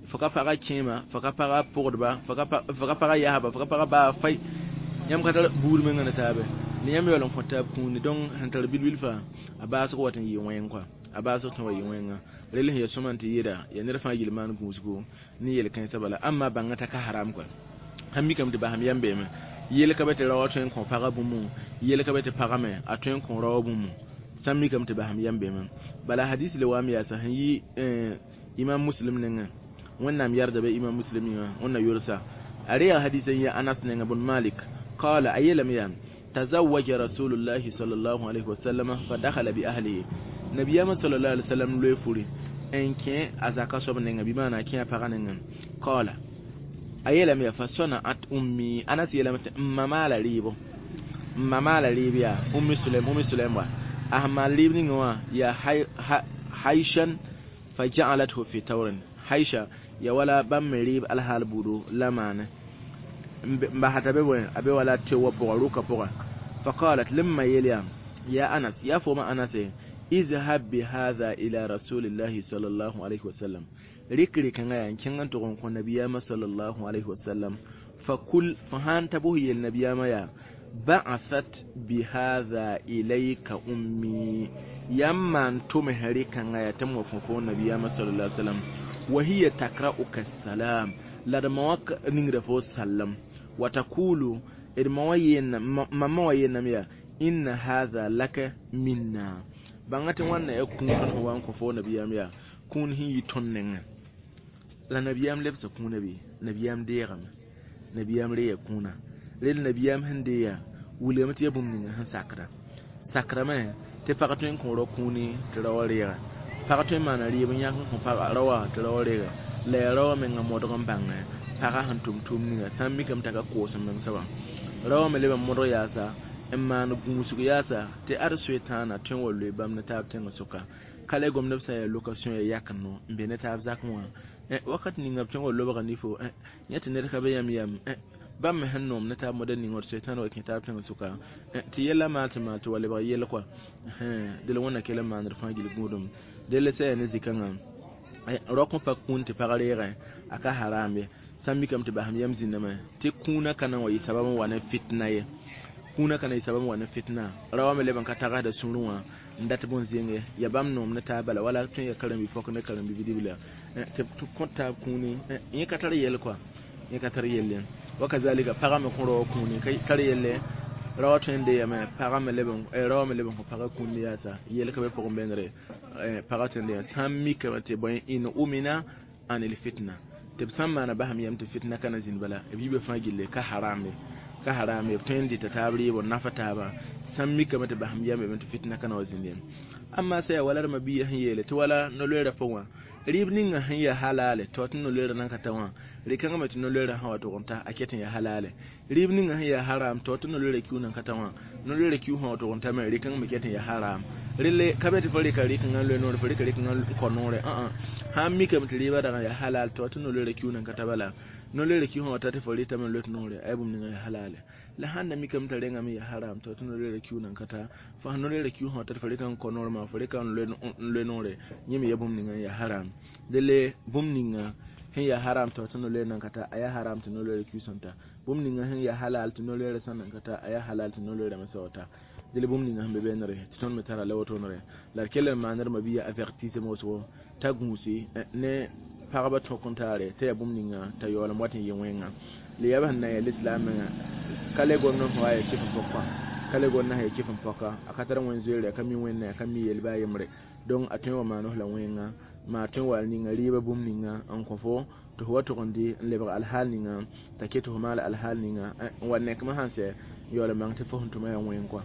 fo ka pagã kẽema fo ka pagã pʋgdba fo ka pagã yasba fo ka pagã baa fay yãmb ka tar buud mengã ne taabe la yãmb yaool n kõt taab kũuni donc sẽn tar bil-bil fãa a baasg wat n yɩ wẽng kɔa a baasg tõe wa yɩ wẽnga rel sẽn ya sõma n tɩ yeeda yaa ned fãa yel maan gũusgo ne yel-kãensã bala amma bãngã t'a ka haram kɔa sãn mikame tɩ basem yam beeme yel ka be tɩ raoã tõe n kõ pagã bũmb yel ka be tɩ pagã me a tõe n kõ raoã bũmb sãn mikame tɩ basem yam beeme bala hadis le waam yaasa sẽn yi imam muslim nengẽ wẽnnaam yarda be imam muslim yĩngã wẽnna yʋlsa a reega hadis n ya anas nengã bn malik qala a yeelame yaa tazawaja rasulullahi sallallahu alayhi wasallam fa dakhala bi ahlihi nabiyama sallallahu alaihi wasallam loe furi n kẽ a zaka soab nengã bɩ maana a kẽ a pagã nengã qala a yeelame yaa fa sona'at ummi anas yeelame tɩ n ma maala rɩɩbo n ma maala rɩɩb yaa ummi sulaim wa a sẽn maan rɩɩb ninga wã yaa haishan fa ja'alathu fi tawrin haisha ya wala bãmb me rɩɩb alhaal buudo la maane n basata be bõe a be wala teoowã pʋga rʋka pʋga fa qalat lemma yeel yaa ya anas yaa fooma anase izhab bihadha ila rasulillahi sallallahu alaihi wasallam rɩk rɩkãngã yaa n kẽng n tʋg n kõ nabiyaamã sallallahu alaihi wasallam fa kul fo sãn ta bos yel nabiyaamã yaa ba'athat bihadha ilayka ummi yãmb maan tʋms rɩkãngã yaa tɩ m wa kõ fo nabiyaamã sallallahu alaihi wasallam wa hiya takra'uka salam la d ma wã ningra fo sallam wa taqulu d ma wã mama wã yeelame yaa inna hadha laka minna bãnga tɩ wãnna yaa kũun tõnd sẽn wa n kõ fo nabiyaam yaa kũun sẽn yi tõnd nengẽ la nabiyaam lebsa kũunã bɩ nabiyaam deegame nabiyaam reega kũunã Rel nabiyaam sẽn deeya wilgame tɩ yaa bũmb ninga sẽn sakda sakrame tɩ pag tõe n kõ rao kũuni tɩ rao wã reega pag tõe n maana rɩɩb n yãk n kõ rao wã tɩ rao wã reega la yaa rao wã menga modg n bãngẽ pagã sẽn tʋm tʋʋm ninga sã n mikame t'a ka koos n meng soabã rao wã me leb n modg yaasa n maan gũusg yaasa tɩ ad soetãana tõe n wa loe bãmb ne taab tẽngã sʋka ka le gomd b sã n yaa location ya yak no n be ne taab zakẽ wã wakat ninga b tõe n wa lobga nifo yẽ tɩ ned ka be yãmb yam bãmb me sẽn noom ne taab moda ning wã soetãan wa kẽ taab tẽngã sʋka tɩ yɛla maal tɩ maal tɩ wa lebg yɛl kɔa dẽla wẽnna kell n maand fãa gill gũudum dell sã yaa ne zĩ-kãngã rok n pa kũun tɩ pag reegẽ a ka haram ye sã n mikame tɩ basem yam zĩndame tɩ kũunã ka na n wa yɩ sabab n wa ne fitna ye kũunã ka na yɩ sabab n wa ne fitna ra wã me leb n ka tagsda sũurẽ wã n dat bõn-zẽnge ya bãmb noom ne taab bala wala tõe n yaa karen-bi-pɔk ne karen-bi-bidibla tɩ b kõ taab kũuni yẽ ka tar yɛl kɔa yẽ ka tar yelle wakazalika pagã me kõ rao kũuni ka tar yelle rao tõe n deeyame pagã me leb n rao me leb n kõ pagã kũuni yaasa yel ka be pʋgẽ bẽngre pagã tõe n deeya sã n mikame tɩ bõe in umina anil fitna tɩ b sã n maana basam yam tɩ fitna ka na zĩnd bala b yiibã fãa gilli ka harame b tõe n dɩta taab rɩɩb n nafa taaba sã n mikame tɩ basam yam tɩ fitna ka na wa zĩnd ye amma sã yaa wala d mabia sẽn yeele tɩ wala no-loeerã pʋgẽ wã rɩɩb ninga sẽn yaa halale tɩ tɩ no-loeerã nan ka ta wã rɩ-kãngã me tɩ no-loeerã sã wa tʋg n ta a ket n yaa halale rɩɩb ninga sẽn yaa haram tɩ tɩ no-loeerã kiu nan ka ta wã no-loeerã kiu sã wa tʋg n ta me rɩ-kãngã me ket n yaa haram relle ka be tɩ fo rɩka rɩ-kãngã n loe noore fo rɩka rɩ-kãngã n kõ noore sã n mikame tɩ rɩɩbã dag n yaa halal tɩ tɩ no-loeerã kiu nan ka ta bala no-loeerã kiu sã wa ta tɩ fo rɩtame n loet noore a yaa bũmb ninga yaa halale la sãn da mikame t'a rengame yaa haram tɩ tɩ no-loeerã kiu nan ka ta fo sãn no-loeerã kiu sã wa ta tɩ fo rɩka n kõ noore maa fo rɩka n loe noore yẽ me yaa bũmb ninga n yaa haram dele bũmb ninga sẽn yaa haram tɩ tɩ no-loeer nan ka ta a yaa haram tɩ no-loeerã kiu sẽn ta bũmb ninga sẽn yaa halal tɩ no-loeerã sẽn nan ka ta a yaa halal tɩ no-loeerã me sã wa ta dele bũmb ninga sẽn be beenere tɩ tõnd me tara la wotone la d kell n maand d mabia avertissement wʋsgo t'a gũusi ne pagba tõk n taare t'a yaa bũmb ninga t'a yaool n wat n yɩ wẽnga la yaa b sẽn na n yaa lislaam menga ka le gomd n wa yaa kɩf n pɔka ka le gomd n yaa kɩf n pɔka a ka tar wẽn-zoeere a ka mi wẽnna a ka mi yel baa yembre donc a tõe n wa maan f la wẽnga maa tõe n wa ninga rɩɩbã bũmb ninga n kõ fo tɩ fo wa tʋg n dɩ n lebg alhaal ninga t'a ket tɩ fo maal alhaal ninga n wa nekmã sãn sɛ yaool n bãng tɩ fo sẽn tʋma yaa wẽng kɔa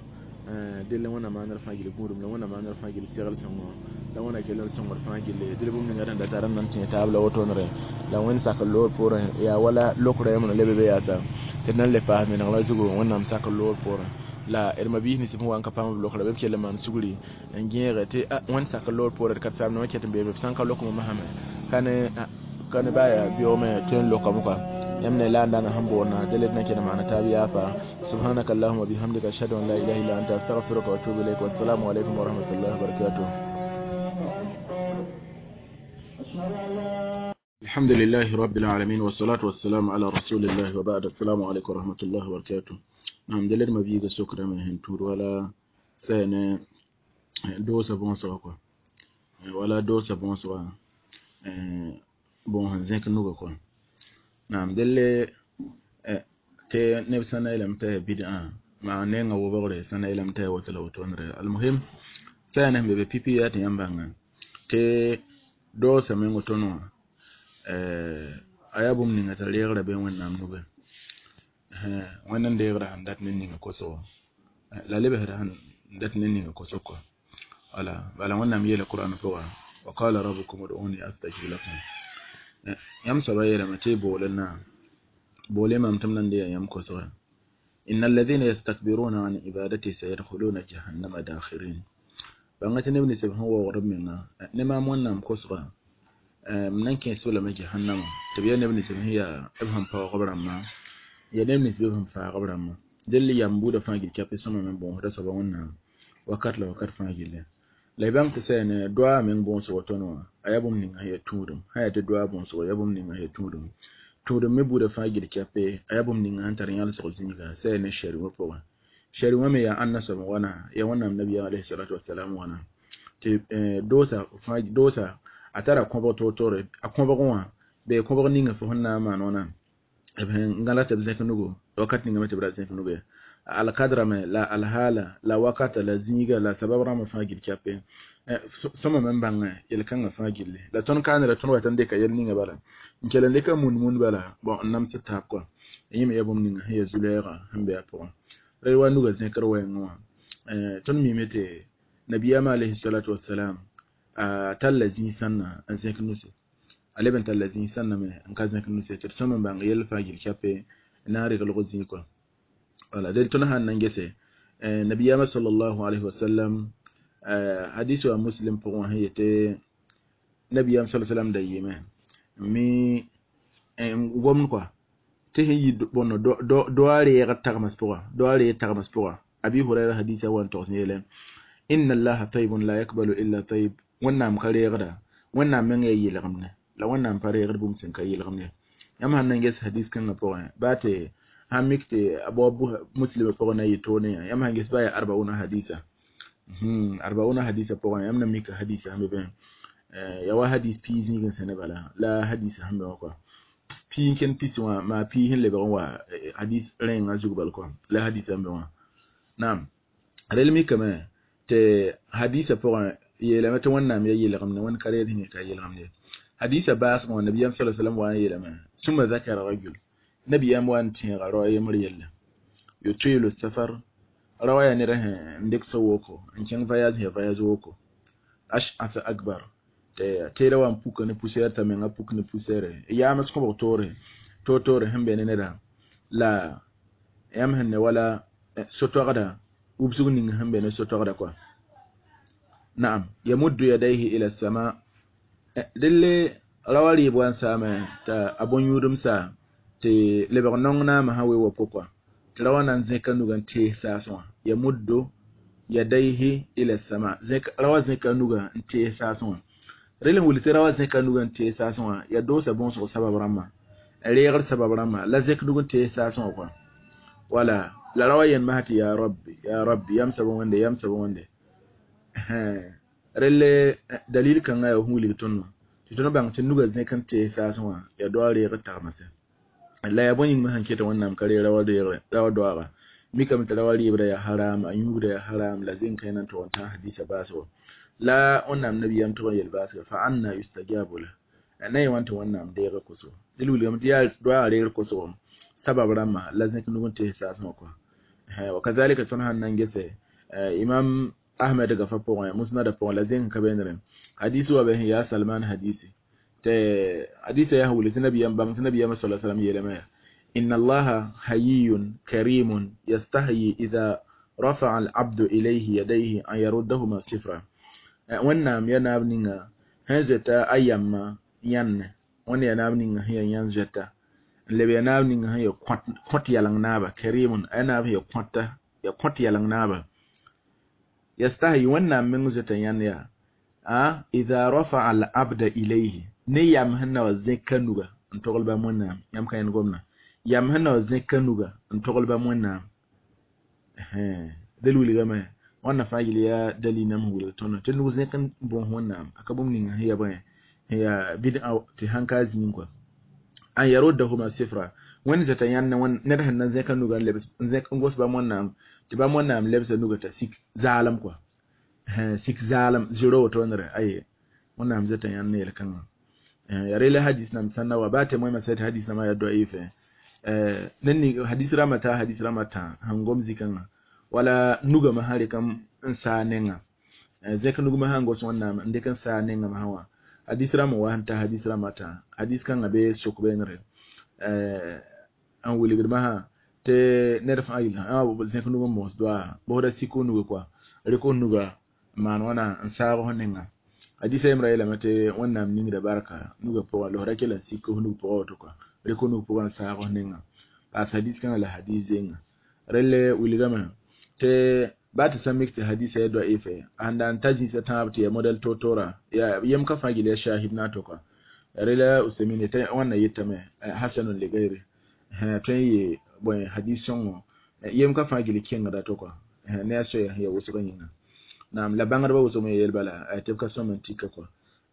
delle wẽnna maandr fãa gill gũudum la wẽnna maandr fãa gill segl sõngo la wẽnna kell n sõngd fãa gilli dɩl bũmb ninga sẽn da tar n nan tẽ taab la wotonre la wẽnd sak n loor poorẽ yaa wala lokrã yãmb leb be yaasa tɩ d nan le paas meneg la zugu wẽnnaam sak n loor poorẽ la d mabiis nins sẽn wa n ka paam b lokra bɩ b kell n maan sugri n gẽege tɩ wẽnd sak n loor poorẽ d ka saam wã ket n beeme b sã n ka lokme masame ka ne baa yaa beoogme tõe n lokame kɔa yãmb ne la n dãna sẽn boonna dẽla d na kell n maana taab yaafa subhanaka allahumma bihamdika ashhadu an la ilaha illa anta astaghfiruka wa atubu ilayk wa assalamu alaykum wa rahmatullahi wa barakatuh. الحمد لله رب العالمين والصلاة والسلام على رسول الله وبعد السلام عليكم ورحمة الله وبركاته. نعم دلت ما بيجا سكرة من هنتور ولا سنة دوسة بونسوا ولا دوسة بونسوا bon zẽk nuga kɔ naam delle tɩ neb sã na yeelame t'a yaa bid'a maa nenga wobgre sã na yeelame t'a yaa woto la wotondre almuhim sã yaa ne sẽn be be pipi yaa tɩ yãmb bãnga tɩ doosã meng woto wã a yaa bũmb ninga t'a reegra be wẽnnaam nugẽ wẽnd n deegra sẽn dat ne ninga kosgo la lebsda sẽn dat ne ninga kosg kɔ wala bala wẽnnaam yeela Qur'an pʋga wa qala rabbukum ud'uni astajib lakum yãmb soaba yeelame tɩ y boole naam boole mam tɩ m nan deeya yãmb kosga inna alladhina yastakbiruna an ibadati sayadkhuluna jahannama dakhirin bãnga tɩ neb nins b sẽn waoogd b menga ne maam wẽnnaam kosga m nan kẽes-b lame jahannama tɩ b yaa neb nins b sẽn yaa b sẽn paoog b rãmbã yaa neb nins b sẽn faag b rãmbã dell yam buudã fãa gil kɛpɩ sõma me bõosda soaba wẽnnaam wakat la wakat fãa gilli la y bãng tɩ sã yaa ne doaa meng bõosgo tõnd wã a yaa bũmb ninga sẽn yaa tũudum sã yaa tɩ doaa bõosgo yaa bũmb ninga sẽn yaa tũudum tũudum me buudã fãa gil kɛpɩ a yaa bũmb ninga sẽn tar yãlsg zĩiga sã yaa ne shɛrwã pʋgẽ shɛrwã me yaa ãnna soab n wana yaa wẽnnaam nabiyaam alayhi salatu wasalam wãna tɩ doosa a tara kõbg toor-toore a kõbg wã bee kõbg ninga fo sẽn na n maan wãna b sẽn gãla tɩ b zẽk nugu wakat ninga me tɩ b ra zẽk nugu ye alkadra me la alhala la wakata la zĩiga la sabab rãmbã fãa gil kɛpɩ sõma me n bãngẽ yel-kãngã fãa gilli la tõnd kaanera tõnd wat n dɩka yel ninga bala n kell n dɩka mun-mun bala bon n namsd taab kɔa Yẽme yaa bũmb ninga sẽn yaa zu-lɛɛgã sẽn be a pʋgẽ. Ra wa nuga zẽkr wɛɛngẽ wã, tõnd miime tɩ nabiyaamã alayhi salatu wasalam a talla zĩig sãnna n zẽk nuse, a leb n talla zĩig sãnna me n ka zẽk nuse, tɩ d sõm n bãng yell fãa gill kape n na n reg lg zĩig kɔa. Wala del tõnd sãn na n gese nabiyaamã sallallahu alayhi wasallam hadis wa Muslim pʋgẽ wã sẽn yete nabiyaam sallallahu sallam da yɩɩme mi n gomd kɔa tɩ sẽn yi bõndo doa reegd tagms pʋga, doa reeg tagms pʋga. Abi Hurayra hadisa wa n togs yeele: inna Allaha tayyibun la yakbalu illa tayyib. Wẽnnaam ka reegda, Wẽnnaam meng yaa yɩlgemde, la Wẽnnaam pa reegd bũmb sẽn ka yɩlgemd ye. Yãmb sãn na n ges hadis kãngã pʋgẽ, baa tɩ sãn mik tɩ a bao Muslima pʋgẽ na yɩ toone yã, yãmb sãn ges baa yaa arbauna hadisa, arbauna hadisa pʋgẽ yãmb na mika hadisa sẽn be bẽ yaa wa hadis pii zĩig n sẽne bala la hadisa sẽn be wã kɔa pii n ken pisi wã maa pii sẽn lebg n wa hadis rẽengã zug bal kɔa la hadisa sẽn be wã. Naam, rel mikame tɩ hadisa pʋgẽ yeelame tɩ Wẽnnaam yaa yɩlgemde, Wẽnd ka reed sẽn ka yɩlgemde. Hadisa baasgẽ wã nabiyaam sala sallam wa n yeelame: sũma zakara rajul, nabiyaam wa n tẽega rao a yembr yelle yutilu safar, rawa yaa ned sẽn n dɩk so-woko n kẽng voyage, sẽn ya voyage woko, ash'asa akbar, tɩ teeda wa n puka ne poussière, t'a menga puk ne poussière, yaams kõbg toore toor-toore sẽn be ne neda la yãmb sẽn ne wala so-toagda wubsg ning sẽn be ne so-toagda kɔa. Naam, yamuddu yadayhi ila sama. Delle rawa rɩɩb wa n saame t'a a bõn-yũudem saa tɩ lebg nong naamã sã we wa pʋka tɩ ra wa na n zẽka nuga n tees saasẽ wã. Yamuddu yadayhi ila sama, ra wa zẽka nuga n tees saasẽ wã. Rel n wilg tɩ ra wa zẽka nuga n tees saasẽ wã yaa doosa bõosg sabab rãmbã, reegr sabab rãmbã la zẽk nug n tees saasẽ wã kɔa. Wala la ra wa yẽnd masã tɩ ya rabbi, ya rabbi, yam soab Wẽnde, yam soab Wẽnde. Relle dalil kãngã yaa sẽn wilg tõnd wã tɩ tõnd bãng tɩ nuga zẽk n tees saasẽ wã yaa doa reegr tagmse la yaa bõe yĩng me sẽn ket Wẽnnaam ka reeg rawa doaaga. Mikame tɩ rawa rɩɩbda yaa haram, a yũugda yaa haram, la zẽn kãe na n tog n tãag hadisa baasgo la Wẽnnaam nabiyaam tʋg n yel baasga fa anna yustajabu la na yẽ wã tɩ Wẽnnaam deega kosgo. Dɩl wilgame tɩ yaa doaaga reegr kosgo sabab rãmbã la zẽk nug n tees saasẽ wã kɔa. Wa kazalika tõnd sãn na n gese Imam Ahmed gafa pʋgẽ, Musnada pʋgẽ, la zẽng ka bẽndrẽ hadisi wa be sẽn yaa Salman hadisi, tɩ hadisa yaa wilg tɩ nabiyam bãng tɩ nabiyam sala sallam yeelame yaa: inna Allaha hayiyun karimun yastahyi idha rafa'a al-abdu ilayhi yadayhi an yaruddahuma sifra. Wẽnnaam yaa naab ninga sẽn zoeta a yamma yãnne, Wẽnd yaa naab ninga sẽn yaa yãn zoeta n leb yaa naab ninga sẽn yaa kõt yaleng naaba, karimun a yaa naab sẽn yaa kõta, yaa kõt yaleng naaba, yastahyi Wẽnnaam meng zoeta yãnd yaa a idha rafa'a al-abda ilayhi ne yam sẽn na wa zẽka nuga n togl bãmb Wẽnnaam. Yãmb ka yẽnd gomdã, yam sẽn na wa zẽka nuga n togl bãmb Wẽnnaam del wilgame wãnna fãa yel yaa dalil nam sẽn wilg tõnd tɩ nug zẽk n bõos Wẽnnaam a ka bũmb ninga sẽn yaa bõe sẽn yaa bɩd tɩ sãn ka zĩig kɔa an yaruddahuma sifra. Wẽnd zoeta yãnd ned sẽn na zẽka nuga n lebs n zẽk n gos bãmb Wẽnnaam tɩ bãmb Wẽnnaam lebsa nuga t'a sik zaalem kɔa, sik zaalem zero wotondre aye. Wẽnnaam zoeta yãnd ne yel-kãngã yaa rela hadis nam sãn na wa baa tɩ moẽmã sã tɩ hadis nãmã yaa da'if. Ned ning hadis rãmbã taa hadis rãmbã tã sẽn gom zĩ-kãngã wala nugame sã rɩk n saa nenga zẽk nugmã sãn gos Wẽnnaam n dɩk n saa nengame sã wã hadis rãmb wa sẽn ta hadis rãmbã tã hadis kãngã bee sok beenre n wilgd masã tɩ ned fãa yel zẽk nug n moos doaa bosda sik f nuga kɔa rɩk f nuga n maan wãna n saag f nenga. Hadisa yembra yeelame tɩ Wẽnnaam ningda barka nuga pʋgã la f ra kell n sik f nug pʋgã woto kɔa rɩk f nug pʋgã n saag f nenga paas hadis kãngã la hadis zenga. Relle wilgame tɩ baa tɩ sã mik tɩ hadisa yaa da'if ãnda n ta zĩisã tãab tɩ yaa modɛl toor-toora yaa yem ka fãa gil yaa shahid na n tʋka rela Usemine tɩ wãnna yetame hasanun li gayri tõe n yɩ bõe hadis sõngo yem ka fãa gil kẽngda to kɔa ne a soya sẽn yaa wʋsgã yĩnga. Naam, la bãngdbã wʋsg me yeel bala tɩ b ka sõm n tika kɔa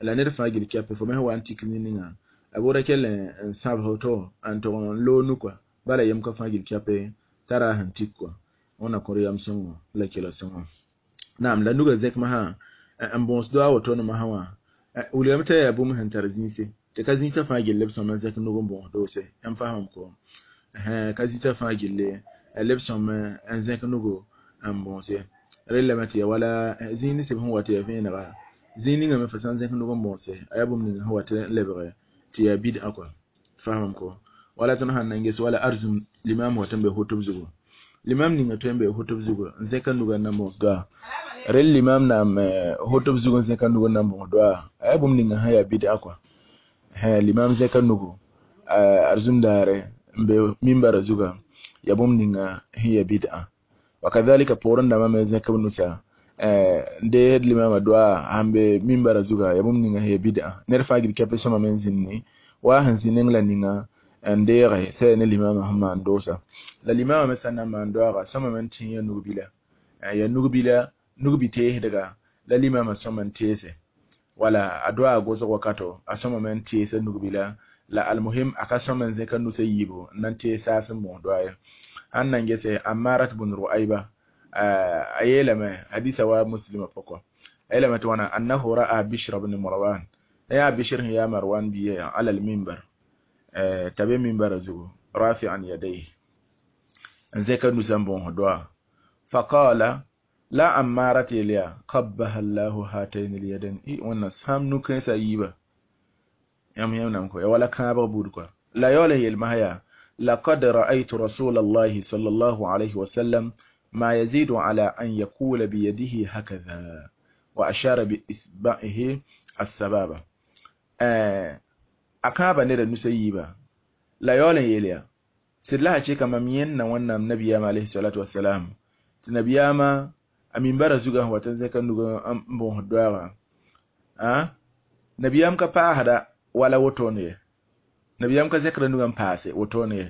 la ned fãa gil kɛpɛ fo me sẽn wa n tik nin-ninga a bʋʋda kell n sãbs woto n tʋg n loog nu kɔa bala yem ka fãa gil kɛpɛ tara sẽn tik kɔa. Wẽnna kõr yam sõngo la kela sõngo. Naam, la nuga zẽk masã n bõos doa woto ne masã wã wilgame t'a yaa bũmb sẽn tar zĩise tɩ ka zĩisã fãa gill b sõm n zẽk nug n bõos doose. Yãmb faamame ko Ka zita fãa gilli leb sõm n zẽk nugu n bõose rellame tɩ ya wala zĩig ninsb sẽn wa tɩ ya vẽenega zĩig ninga me fo sã n zẽk nug n bõose a yaa bũmb ninga sẽn wa tɩ n lebge tɩ yaa bid'a kɔa faamam ko wala tõnd sãn na n ges wala arzum limam wa tɩ n be hotb zugu limam ninga tõe n be hotb zugu n zẽka nuga n na n bõos doa rel limam naam hotb zugu n zẽka nug n na n bõos doa a yaa bũmb ninga sẽn yaa bid'a kɔa limam zẽka nugu arzum daare n be mimbara zuga ya bũmb ninga sẽn yaa bid'a wa kadhalika poorẽ dãmbã me zẽk b nusa n deesd limama doa sãn be mimbara zuga ya bũmb ninga sẽn yaa bid'a ned fãa gil kɛpɛ sõma me n zĩndi wa sẽn zĩ neng la ninga n deege sã ne limama sẽn maan doosa la limama me sã n na n maan doaaga sõma me n tẽ ya nugbila ya nugbila nugbi-teesdga la limama sõma n teese wala a doa gosg wakato a sõma me n teesa nugbila la almuhim a ka sõma n zẽka nusa yiibu n na n tees saas n bõos doa ye sãn na n gese Ammarat bun Ru'ayba a yeelame hadisa wa muslima pʋgẽ a yeelame tɩ wãna annahu ra'a Bishr bn Marwan yaa Bishr sẽn yaa Marwan bia ala al-minbar t'a be minbara zugu rafi'an yadayhi n zẽka nusa n bõos doa faqala la Ammarat yel yaa qabbaha Allahu hatayn al-yadayn i wẽnna sãam nu-kãensã yiiba yãmb yãmb nam ko ya wala kãabg buud kɔa la yaool yelmasã yaa laqad ra'aytu rasula allahi sallallahu alayhi wa sallam ma yazidu ala an yaqula biyadihi hakadha wa ashara bi isba'ihi as-sababa a kãaba neda nusa yiiba la yaool n yeel yaa sɩd la sã cheka mam yẽnna wẽnnaam nabiyaam alayhi salatu wasalam tɩ nabiyaamã a mimbara zugã sẽn wat n zẽka nug n bõosd doaaga nabiyaam ka paasda wala wotone ye nabiyaam ka zẽkra nugã n paase wotone ye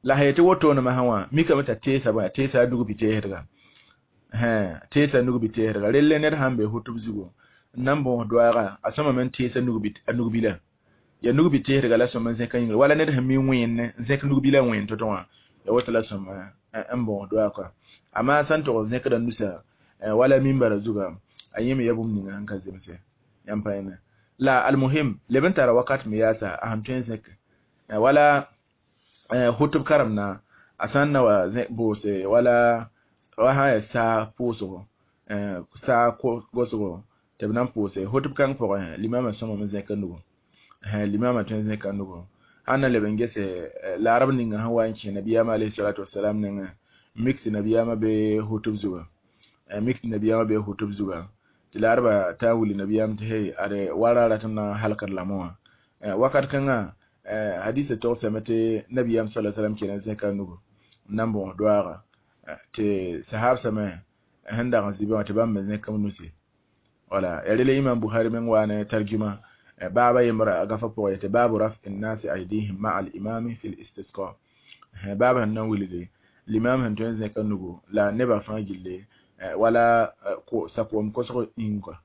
la sã yetɩ wotone masã wã mikame t'a teesa bõe a teesa a nug biteesdga teesa nug biteesdga relle ned sãn be hotb zugu n na n bõos doaaga a sõma me n teesa a nugbila ya nug biteesdga la sõma n zẽka yĩngre wala ned sẽn mi wẽenne n zẽk nugbila wẽen to-to wã ya woto la sõma n bõos doaag kɔa amma sã n tog zẽkda nusa wala mimbara zuga a yẽ me ya bũmb ninga sẽn ka zemse yãmb pa yẽne la almuhim leb n tara wakat me yaasa a sẽn tõe n zẽk wala hotb karemna a sã n na wa boose wala wa sã n yaa saa pʋʋsgo saa gosgo tɩ b na n pʋʋse hotb kãng pʋgẽ limama sõma me zẽka nugu limama tõe n zẽka nugu sãn na leb n gese laarb ninga sẽn wa n kẽ nabiyaamã alayhi salatu wasalam nengẽ mik tɩ nabiyaamã be hotb zuga mik tɩ nabiyaamã be hotb zuga tɩ laarba t'a willi nabiyaam tɩ hey ade wara rat n na n halkd lame wã wakat kãngã hadisa togsame tɩ nabiyaam sa sallam kell n zẽka nugu n na n bõos doaaga tɩ sahabsame sẽn dag n zĩ be wã tɩ bãmb me zẽk b nusi wala ya rela imam Bukhari meng wa ne tarjuma baaba yembra a gafa pʋgẽ tɩ baabu raf'i nnasi aydihim ma'a al-imami fi l-istisqa baaba sẽn na n wilgi limam sẽn tõe n zẽka nugu la nebã fãa gilli wala sakoom kosg ĩng kɔa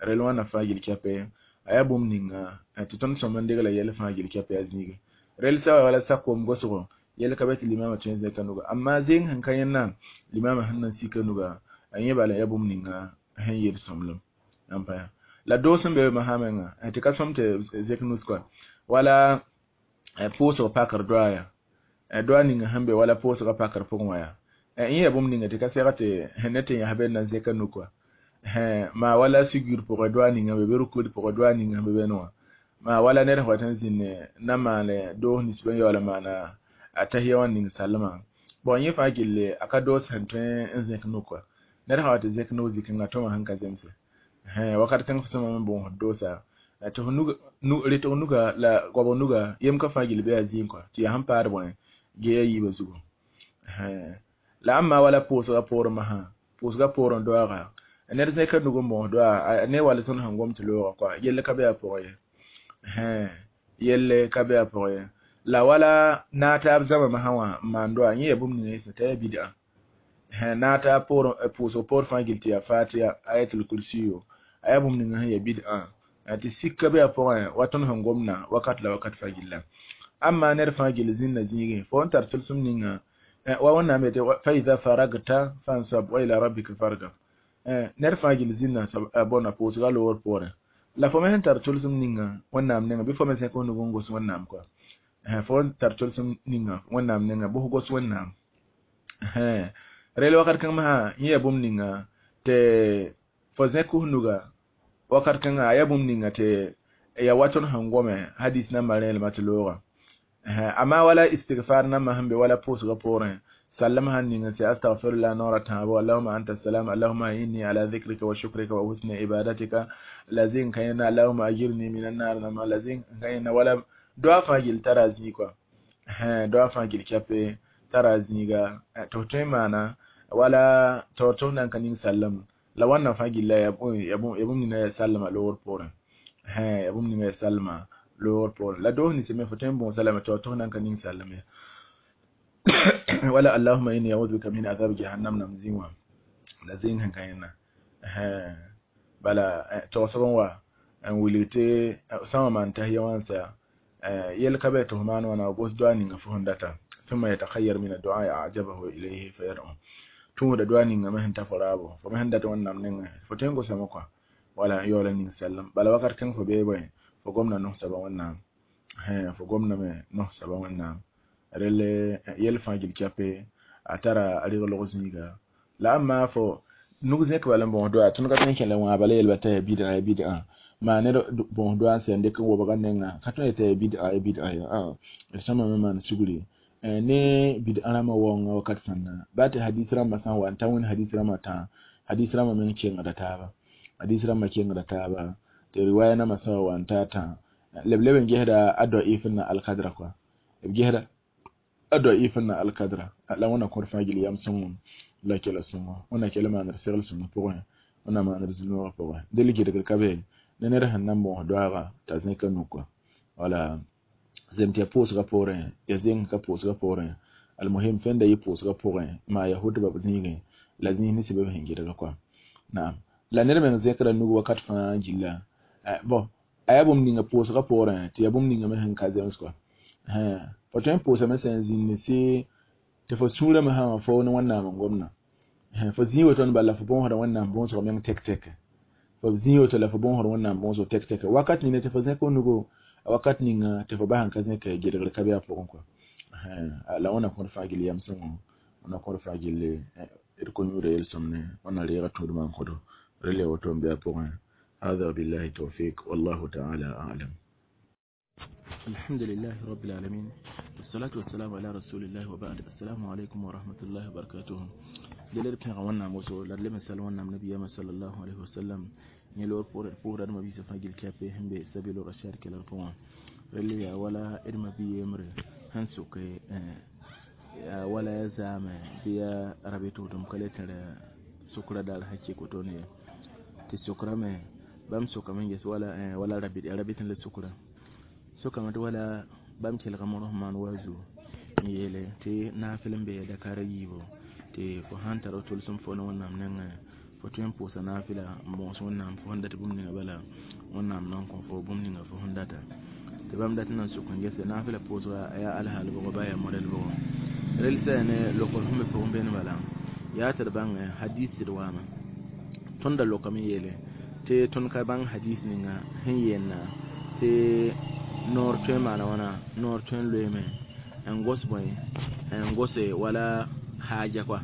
rel wãnna fãa gill kɛpɛ a yaa bũmb ninga tɩ tõnd sõm n degla yɛl fãa gill kɛpɛ a zĩige rel sã wa wala sakoom gosgo yɛl ka be tɩ limamã tõe n zẽka nuga amma zeng sẽn ka yẽnna limamã sẽn na n sika nuga a yẽ bala yaa bũmb ninga sẽn yel sõmblem n pa la doos sẽn be be masã menga tɩ ka sõm tɩ zẽk nus kɔa wala pʋʋsg pakr doa yaa doa ninga sẽn be wala pʋʋsgã pakr pʋgẽ wã yaa yẽ yaa bũmb ninga tɩ ka sɛg tɩ sẽn ne tɩ yãs be n na n zẽka nuk wã maa wala sugur pʋgẽ doa ninga be bɩ rukd pʋgẽ doa ninga sẽn be be wã maa wala ned sẽn wat n zĩnd na n maane doos nins bã yaool n maana a tahiya wã ning salmã bon yẽ fãa gilli a ka doos sẽn tõe n zẽk nuk wã ned sã wa tɩ zẽk nuk zĩ-kãngã tõmã sẽn ka zemse wakat kãng fo sõma me bõosd doosa tɩ f retg nuga la goabg nuga yem ka fãa gill bɩ yaa zĩig kɔa tɩ yaa sẽn paad bõe gee a yiibã zugu la ãmba wala pʋʋsgã poorẽ masã pʋʋsgã poorẽ doaaga ned zẽka nug n bõos doa ne wala tõnd sẽn gom tɩ loogã kɔa yell ka be a pʋgẽ ye yelle ka be a pʋgẽ ye la wala naataab zãma masã wã n maan doa yẽ yaa bũmb ninga yẽsẽ t'a yaa bid'a naataab pʋʋsg poor fãa gill tɩ yaa fatiya ayatul kursiyo a yaa bũmb ninga sẽn yaa bid'a tɩ sik ka be a pʋgẽ wa tõnd sẽn gomna wakat la wakat fãa gilla amma ned fãa gill zĩnna zĩigẽ fo n tar tʋlsem ninga wa wẽnnaam yetɩ fa ida faragta fansab wa ila rabbika fargab ned fãa gill zĩnna bõna pʋʋsga loor poorẽ la fo me sẽn tar tʋlsem ninga wẽnnaam nenga bɩ fo me zẽk f nug n gos wẽnnaam kɔa Fo tar tolsem ninga wẽnnaam nenga bʋs gos wẽnnaam. Rel wakat kãng masã yẽ yaa bũmb ninga tɩ fo zẽk f nuga wakat kãngã a yaa bũmb ninga tɩ ya wa tõnd sẽn gome hadis nambã rẽelmã tɩ looga. Amma wala istighfar nambã sẽn be wala pʋʋsgã poorẽ sallem sãn ning n sɛ astaghfirullah noora tãabo allahuma anta salam allahuma inni ala dhikrika wa shukrika wa husni ibadatika la zĩng ka yẽnna allahuma ajirni min annar nambã la zĩng ka yẽnna wala doa fãa gill tara zĩig kɔa. Doa fãa gill kɛpe tara zĩiga tɩ f tõe n maana wala tɩ f nan ka ning sallem la wãnna fãa gilla ya bũmb ninga yaa sallma loogr poorẽ. Ya bũmb ninga yaa sallma loogr poorẽ la doos ninsã me fo tõe n bõosa lame tɩ f nan ka ning sallem ye. Wala allahuma inni a'udhu bika min adhab jahannam nam zĩig wã la zĩng sẽn ka yẽnna. Bala tog-soab n wa n wilg tɩ sã n wa maan tahiya wã n sa yel ka bɛ tɩ f maan wãna gos doa ninga fo sẽn data thumma yatakhayyar min addu'a a'jabahu ilayhi fayad'u tũuda doa ninga me sẽn ta fo raabo fo me sẽn dat wẽnnaam nengẽ fo tõe n gosame kɔa wala n yaool n ning sallem bala wakat kãng fo bee bõe fo gomda no-soaba wẽnnaam fo gomdame no-soaba wẽnnaam rel yɛl fãa gil kɛpe a tara a reglg zĩiga la amma fo nug zẽk bala n bõos doa tõnd ka tõe n kẽla wã bala yelba t'a yaa bid'a ya bid'a maa ned bõos doa n sɛ n dɩk n wobga nenga ka tõe t'a yaa bid'a ya bid'a ya d sõma me maan sugri ne bid'a rãmbã waoongã wakat sãnda baa tɩ hadis rãmbã sã n wa n ta wẽnd hadis rãmbã tã hadis rãmbã meng kengda taaba hadis rãmbã kengda taaba tɩ riwaya nambã sã wa n ta tã leb leb n gesda a da'if n na alkadra kɔa b gesda a da'if n na alkadra la wẽnna kõd fãa gil yam sõngem la kɛla sõngo wẽnna kɛla maanr segl sõng pʋgẽ wẽnna maanr zulmgã pʋgẽ del gɩdgr ka be ne ned sẽn na n bõos doaaga t'a zẽka nuk kɔa wala zem tɩ ya pʋʋsgã poorẽ ya zeng ka pʋʋsgã poorẽ almuhim fẽnda yɩ pʋʋsgã pʋgẽ maa ya hʋtba b zĩigẽ la zĩis ne sɩbb sẽn gɩdga kɔa naam la ned meng zẽkra nug wakat fãa gilla bɔn a yaa bũmb ninga pʋʋsgã poorẽ tɩ yaa bũmb ninga me sẽn ka zems kɔa fo tõe n pʋʋsame sẽn zĩnd sɩ tɩ fo sũurã me sã wã fo ne wẽnnaam n gomdã fo zĩig woto bala la fo bõosda wẽnnaam bõosg meng tek-tek fo zĩig woto la fo bõosd wẽnnaam bõosg tek-tek wakat ninga tɩ fo zẽk f nugo wakat ninga tɩ fo bas n ka zẽk gɩdgr ka be a pʋgẽ kɔa la wẽnna kõd fãa gill yam sõngo wẽnna kõd fãa gill d ko-yũuda yel-sõmne wẽnna reega tũudmã n kõdo rel ya woto n be a pʋgẽ. هذا بالله التوفيق والله تعالى أعلم. الحمد لله رب العالمين والصلاة والسلام على رسول الله وبعد. السلام عليكم ورحمة الله وبركاته. دليل بين غوانا موسو لدلم سلوانا النبي صلى الله عليه وسلم يلور بور بور ما بيس فاجل كابي هم بسبيل الرشاد كلا فوا رلي ولا إرما بيمر هنسوك ولا زام بيا ربيتو دم كلتر سكرة دال هكي كوتوني تسكرة ما بام سكرة من جس ولا ولا ربيت ربيت للسكرة sokame tɩ wala bãmb kelgame rosmaan wa zuo n yeele tɩ naafɩl n bee dakar a yiibu tɩ fo sãn tara tʋlsem fo ne wẽnnaam nengẽ fo tõe n pʋʋsa naafɩla n bõos wẽnnaam fo sẽn dat bũmb ninga bala wẽnnaam na n kõ fo bũmb ninga fo sẽn data tɩ bãmb dat n na n sʋk n gese naafɩla pʋʋsga a yaa alhaal bʋgɔ baa yaa modɛl bʋgɔ rel sã ne lokr sẽn be pʋgẽ beene bala yaa tɩ d bãng hadis sɩd waame tõnd da lokame yeele tɩ tõnd ka bãng hadis ninga sẽn yeenna tɩ noor tõe n maana wãna noor tõe n loeeme n gos bõe n gose wala haaja kɔa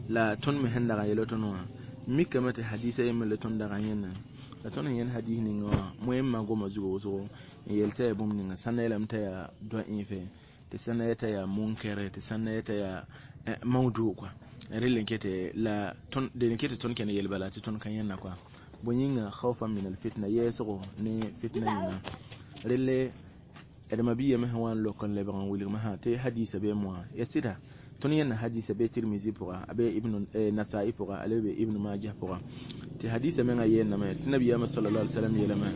la tõnd me sẽn dag n yel tõnd wã mikame tɩ hadisa yembr la tõnd dag n yẽnna la tõnd n yẽnd hadis ninga wã moẽmã goma zugu wʋsgo n yel t'a yaa bũmb ninga sãnda yeelame t'a yaa dɔɩfe tɩ sãnda yeta yaa munkɛre tɩ sãnda yeta yaa mawdu kɔa rel n kete la dẽn ket tɩ tõnd kẽnd yel bala tɩ tõnd ka yẽnna kɔa bõe yĩnga khawfan min alfitna yɛɛsgo ne fitna yĩnga relle d mabia me sẽn wa n lok n lebg n wilgme sã tɩ hadisa bee moã ya sɩda tõnd yẽnna hadisa bee tirmizi pʋga a bee ibn nasai pʋga a le be ibn majah pʋga tɩ hadisa mengã yeenname tɩ nabiyaamã sallallahu alaihi wasallam yeelame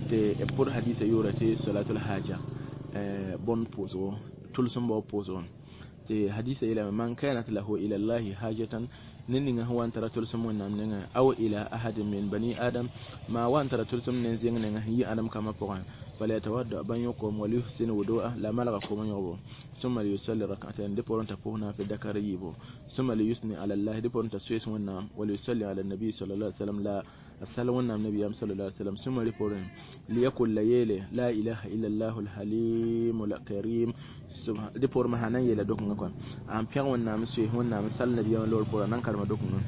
tɩ b pʋd hadisa yʋʋra tɩ salatul haja bõnd pʋʋsgo tʋlsem bao pʋʋsgo tɩ hadisa yeelame man kanat lahu ila llahi hajatan ne ninga sẽn wa n tara tʋlsem wẽnnaam nengẽ aw ila ahadin min bani adam maa wa n tara tʋlsem ne zẽng nengã sẽn yi adem kambã pʋgẽ فليتودع بن يقوم وليحسن وضوءه لا ملغ قوم يغبو ثم ليصلي ركعتين دي بورن تبونا في دكار يبو ثم ليثني على الله دي بورن تسويس ونام وليصلي على النبي صلى الله عليه وسلم لا A sal Wẽnnaam nabiyaam sallallahu alaihi wasallam sũma rɩ poorẽ liyakul la yeele la ilaha illallah alhalim alkarim dɩ poorẽ sã na n yeela dokengã kɔa a n pẽg Wẽnnaam n soees Wẽnnaam n sal nabiyaamã loor poorẽ a na n karema dokengã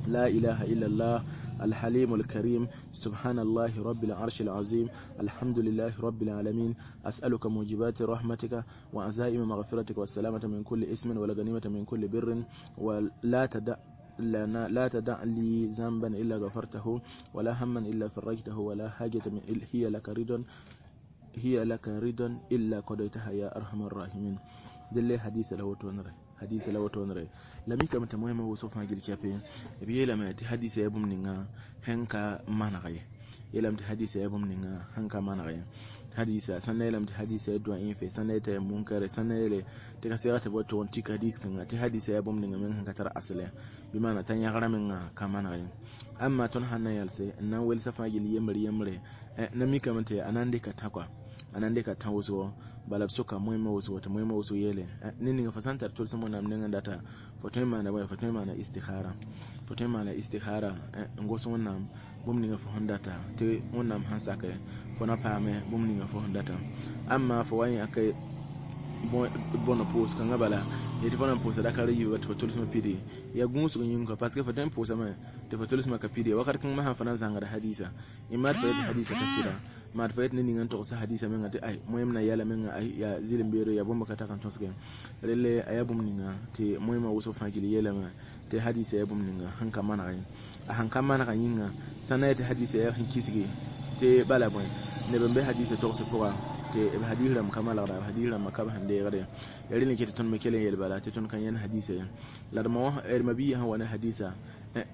لا إله إلا الله الحليم الكريم سبحان الله رب العرش العظيم الحمد لله رب العالمين أسألك موجبات رحمتك وعزائم مغفرتك والسلامة من كل اسم والغنيمة من كل بر ولا تدع لنا لا تدع لي ذنبا إلا غفرته ولا هما إلا فرجته ولا حاجة من هي لك رضا هي لك رضا إلا قضيتها يا أرحم الراحمين. دل حديث له تونره hadisa la woto nre la mi kam ta muhimma wo sofa gil chape bi yela ma ti hadisa ya bum ninga henka managaye yelam ti hadisa ya bum ninga henka managaye hadisa sanna yelam ti hadisa ya du'a infe sanna ta munkare sanna yele ti ka sira ta boto on ti hadis kan ti hadisa ya bum ninga men henka tar asle bi mana tan ya garamen ka managaye amma ton hanna yalse nan wel safa gil yemre yemre na mi kam ta anande ka takwa anande ka tawso balab soka muhimma wasu wata muhimma wasu yele nini nga fasantar tol samo nam nenga data fotoy mana boy fotoy mana istikhara fotoy mana istikhara ngoso wonnam bum ninga fo hondata te wonnam hansaka fo na paame bum ninga fo hondata amma fo wani akai bono post kanga bala yeti fo na post da kare yiwa to tol sama pidi ya gunsu nyinga parce que fo tan post ma te fo tol sama ka pidi wakat kan ma han fana zanga da hadisa imar fa hadisa kasira ma fa yet ni ngan to sa hadisa men ngati ay moyem na yala men ay ya zilim bero ya bomba kata kan tosge relle ayabum ninga te moyema wuso fagili yela ma te hadisa ya bum ninga hanka mana ay hanka mana kan yinga sana te hadisa ya hin kisige te bala boy ne bembe hadisa to so poa te hadisa ram kamala ra hadisa ram makaba hande gare yari ne ke ton mekele yel bala te ton kan yan hadisa la mo er mabi han wana hadisa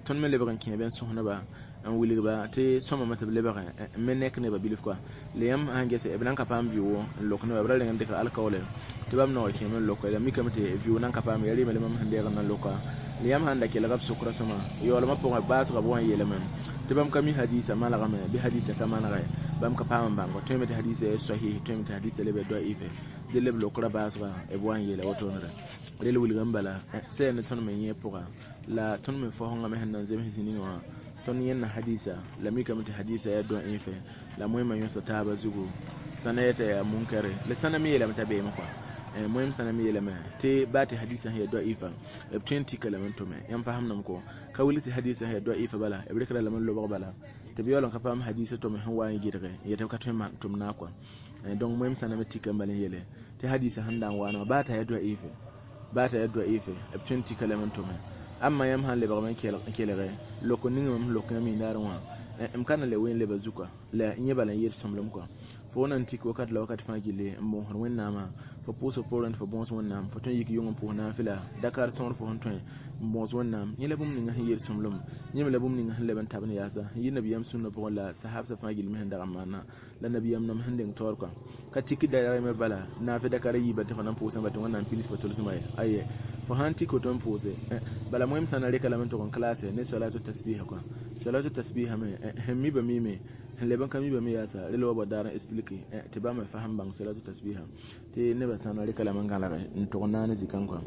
ton mele bagan keben sohna ba an wili ba te soma mata le ba men nek ne ba bilif quoi le yam hange se ebnan ka pam biwo lok ne ba le ngam de ka alkawle te bam no ke men lok la mi kam te biwo nan ka pam yari mele mam hande ga nan loka le yam handa ke la gab sukra soma yo la ma po ba so ga bon yele men te bam ka mi hadisa mala ga me bi hadisa ka mana ga bam ka pam bango te mete hadisa sahih te mete hadisa le be do ife de le lokra ba so ga e bon yele woto ne re le wili gambala se ne ton men ye poka la ton men fo honga me hannan zem hisini wa ton yenna hadisa la mi kamata hadisa ya don infe la muhimma yusa ta ba zugo sanayata ya munkare la sanami la matabe makwa muhim sanami la ma te ba ta hadisa ya do ifa 20 kalaman to me yan fahamna mko ka wuliti hadisa ya do ifa bala ibrikra la man lo bala te biyo ka fam hadisa to me han wa gidre ya ta ka to ma tum na kwa donc muhim sanami tikambalen yele te hadisa handan wa ba ta ya do ifa ba ta ya do ifa 20 kalaman to me amma yam han le ba kelere loko ninga mam loko mi darwa em kana le wen le bazuka la nye bala yer somlom quoi fo nan tik wakat la wakat fagile mo hon wennama fo poso poran fo bons wonnam fo ton yik yongom po na fila dakar ton fo hon ton bons wonnam nye le bum ninga yer somlom nye le bum ninga le ban tabne yasa yi nabiyam sunna po la sahab sa fagile mi handa amana la nabiyam nam hande tor quoi ka tik da me bala na fi dakar yi ba ta nan poso ba ton wannan filis fo tol sumay aye fo hanti ko ton pose bala moyem sanare kala men to kon classe ne salatu tasbih quoi salatu tasbih me hemmi ba mime leban kami ba me yasa relo ba daran explique te ba me faham bang salatu tasbih te ne ba sanare kala man gala to nana zikan quoi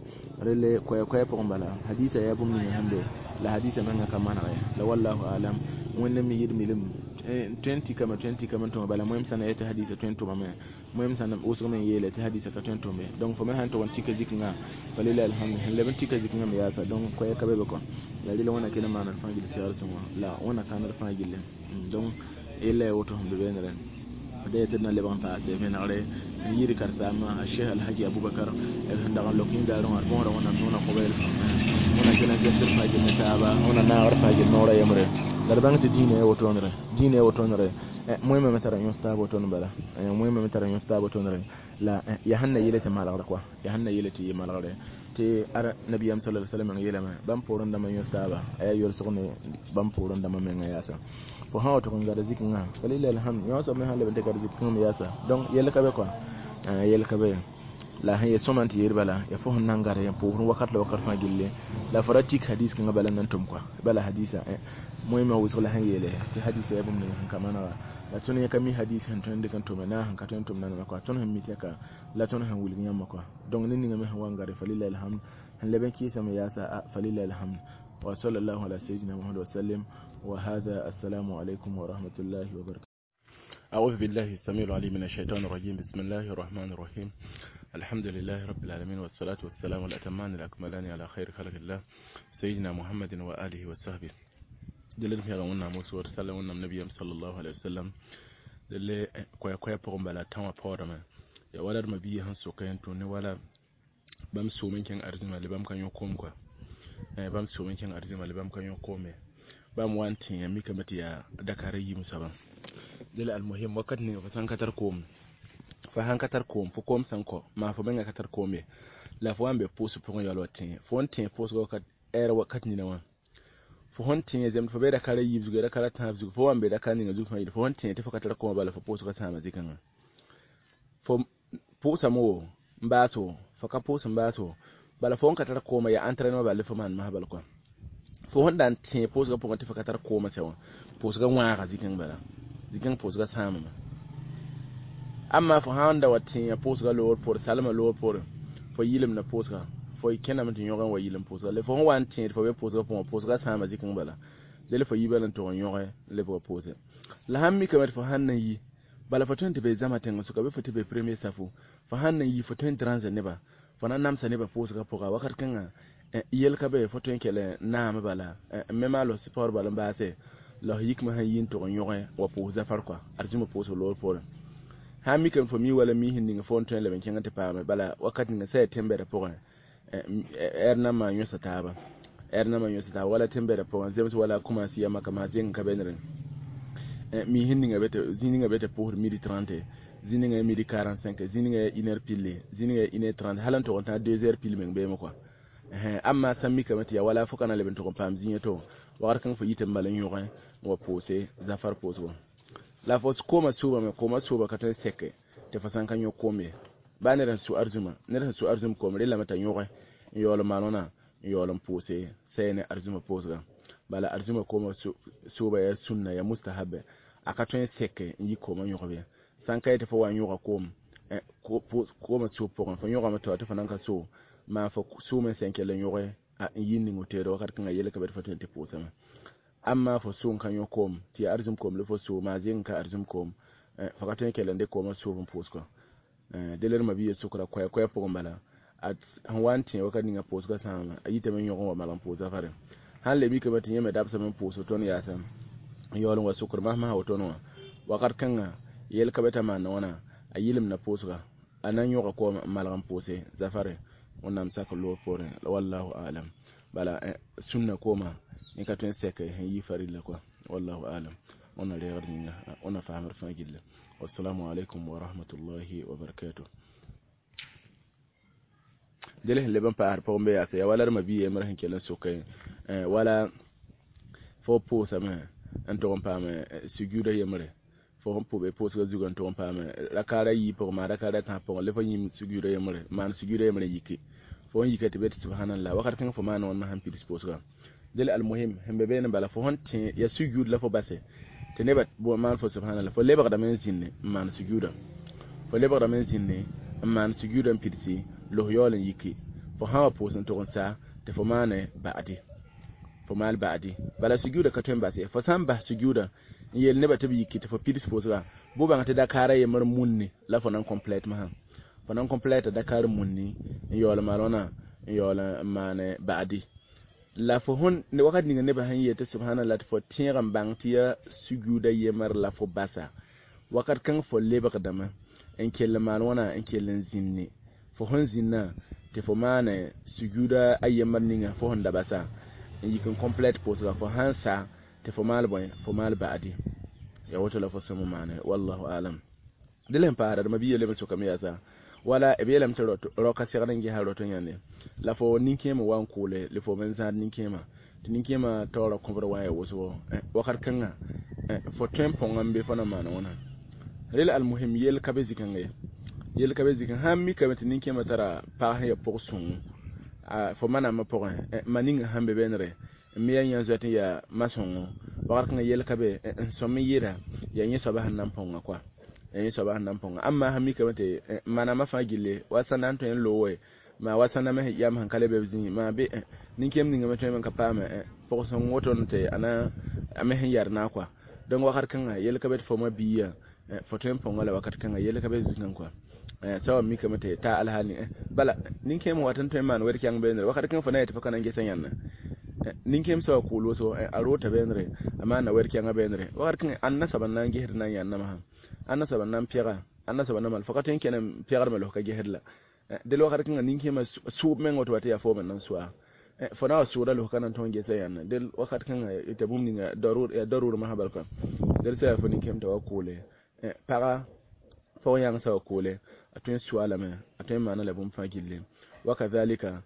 rele koy koy po bala hadisa ya bum ni hande la hadisa man ka mana la wallahu alam wonna mi yid milim 20 kama 20 kama to bala moyem sana ta hadisa 20 ma me moyem sana usu men yele ta hadisa ka 20 me donc fo men han to won tika zikinga falila alhamdulillah leben tika zikinga me yasa donc koy ka be ko la lila wana kena mana fangil siyar suma la wana kana fangil donc illa woto hum be nere de tedna leban paase venare yiri karsama Cheikh Alhaji Abubakar el handa lokin daron arbon wana tona qobel wana kena zemsir fagil netaba wana na ar fagil nora yamre darbang ti dine woto nere dine woto nere moyma metara yon stabo ton bala moyma metara yon stabo ton nere la ya hanna yelete malagre quoi ya hanna yelete malagre te ara nabiyam sallallahu alaihi wasallam yelama bam poron dama yon staba ay yor sogne bam poron dama men yasa fo hawo to kon gara zikinga walila alhamd yon so men halle be gara zikinga yasa donc yele kabe quoi yele kabe la han yesomanti yerbala ya fo hon ngara ya po wakat la wakat fa gille la faratik hadis kan bala nan tum quoi bala hadisa moyma wusula han yele te hadisa ya bum ne han kamana la ton ya kami hadis han ton de kan to na han ka ton tom nan quoi ton han mitaka la ton han wulgi nyamma quoi donc ni ngame han wangare falila alhamd han leben ki sama yasa falila alhamd wa sallallahu ala sayyidina muhammad wa sallam. Wa hada, assalamu alaikum wa rahmatullahi wa barakatuh. أعوذ بالله السميع العليم من الشيطان الرجيم. بسم الله الرحمن الرحيم. الحمد لله رب العالمين، والصلاة والسلام الأتمان الأكملان على خير خلق الله سيدنا محمد وآله وصحبه. دلن في غونا موسى ورسالة النبي صلى الله عليه وسلم دل كوي كوي بقوم بلا تام بورما يا ولد ما بيه هن سوكين توني ولا بام سومين كان أرزم اللي بام كان يقوم كوا بام سومين كان أرزم اللي بام كان يقوم بام وانتين ميكا متيا دكاري مسابا. دل المهم وقت ني فسان كتر كوم فهان كتر كوم فكوم سانكو ما فبنga katar kome la fo ambe posu pon yalo tin fo tin posu wakat era wakat ni nawa fo hon tin zem fo be da kare yibzu da kare tan zugu fo ambe da kan ni zugu fo hon tin te fo katar koma bala fo posu ka sama zikan fo posa mo mbaso fo ka posu mbaso bala fo on katar koma ya entraînement bala fo man ma bala ko fo hon dan tin posu ka pon te fo katar koma sewa posu ka wa zikan bala zikan posu ka sama. Amma fo handa watin posu lor por salama lor por fo yilim na posu fo ikena mtin yogan wa yilim posu le fo wan tin fo be posu fo posu sama zikan bala le fo yibalan to yogan le fo posu la hammi kamar fo hannan yi bala fo tun be zama tan su ka be fo be premier safo fo hannan yi fo tun transe ne ba fo nan namsa ne ba posu ka poka wakat kan yel ka be fo tun kele na ma bala mema lo sport bala ba se la yikma han yin to yogan wa posu zafar kwa arjuma posu lor por ha mi kan fo mi wala mi hinni fo on le ben kenga te paame bala wakati nga sai tembere pogon erna ma nyosa taba erna ma nyosa taba wala tembere pogon zems wala kuma siya maka ma zen ka benren mi hinni nga bete zini nga bete pour midi 30 zini nga midi 45 zini nga 1h pile zini nga 1h30 halan to on ta 2h pile men be mo quoi amma sammi kamati ya wala fo kana le ben to pam zinye to war kan fo yitem bala nyoga wa pose zafar poso la fos koma suba me koma suba ka tan seke te fasan kan yo kome ba ne ran su arzuma ne ran su arzum ko mere la mata yoga yolo manona yolo pose sai ne arzuma posa bala arzuma koma suba ya sunna ya mustahabe aka tan seke yi koma yoga be san kai te fo wan yoga kom koma su po fo yoga mata te fanan ka so ma fo su men senke le yoga a yini ngotere wakat kan yele ka be fatin te posa amma fo sun kan yo kom ti arzum kom le fo so ma zin ka arzum kom fakatun kelen de kom so bun posko deler ma biye sukra koy koy po mbala at wanti wakati nga posko sama ayite men yogon wa malam posa fare han le mi ke batin yeme dabsa men poso ton ya sam yolon wa sukra ma ma hoton wa wakat kan yel ka beta ma nona ayilim na posko anan yoga ko malam pose zafare onnam saka lo pore wallahu alam bala sunna koma ni ka tun seke hen yi farilla quoi wallahu alam ona leer ni ona fahamar fagilla. Wassalamu alaikum wa rahmatullahi wa barakatuh. Dele le ban paar pombe ya ya wala ma biye mar hen kelen soke wala fo po sama en to pa me sujuda yemre fo hon po be po so zugan to pa me la kara yi po ma la kara ta po le fo yim sujuda yemre man sujuda yemre yiki fo yike te bet subhanallah wakat kan fo man on ma han pidis po del almuhim hembe be bala fo hon te ya sujud la fo base te nebat bo man fo subhanallah fo leba da men zinne man sujuda fo leba da men zinne man sujuda pidisi lo yolen yiki fo hawa po sen to sa te fo mane baadi fo mal baadi bala sujuda ka ton base fo san ba sujuda yel nebat te yiki te fo pidis po sa bo ba te dakara ye mar munni la fo nan complete ma fo nan complete dakar munni yola malona yola mane baadi la fo hon ne wakat ni ne ba han yete subhanallah fo tiram bang tiya sujuda yemar la fo basa wakat kan fo leba kadama en kelle malona en kellen zinni fo hon zinna te fo mane sujuda ayyamar ninga fo hon da basa en yikin complete post la fo hansa te fo mal boy fo mal baadi ya woto la fo samu mane wallahu alam dilen paara ma biye lebe so kam yasa wala e be lam tero roka segran gi haro to nyande la fo ninkema wan kule le fo men zan ninkema ti ninkema toro kobro waye woso wakar kanga fo tempo ngambe fo na mana wona rel al muhim yel kabe zikange yel kabe zikan hammi kabe ti ninkema tara pa ya porson a fo mana ma por maninga hambe benre mi ya nyanzo ya masongo wakar kanga yel kabe somi yira ya nyi soba hanan ponga kwa en soba hanan ponga amma hammi kabe te mana ma fagile wasanan to en lowe Ma wasana me yam han kale be zĩ ma be ninkem ninga me tõe n ka paame pʋg-sõng woto tɩ ana a me sẽn yɛr na kɔa donc wakat kãnga yel ka be tɩ fo ma biiya fo tõe n põnga la wakat kãnga yel ka be zikã kɔa sawa mikame tɩ ta alhaali bala nin-kẽem wat n tõe n maan wɛd kɛng beene wakat kãng fo na yetɩ fo ka na n gesa yãnna nin-kẽem soaba kʋʋl woto a roota beenre a maana wɛd kɛngã beenre wakat kãngã ãnna soaba n na n gesd na n yãnna masã ãnna soaba n na n pɛga ãnna soaba na mal fo ka tõe n kẽne n pɛgdme la fo ka gesd la del wakat kãngã nin-kẽemã sʋʋb meng woto wa tɩ yaa foom n na n soa fo na wa sʋʋda la fo ka na n tõe n gesa yãnna del wakat kãngã t'a bũmb ninga yaa darur masã bal kɔa del sã yaa fo nin-kẽem t'a wa kʋʋle paga pɔg yãng soaba kʋʋle a tõe n soa lame a tõe n maana la bũmb fãa gilli wa kazalika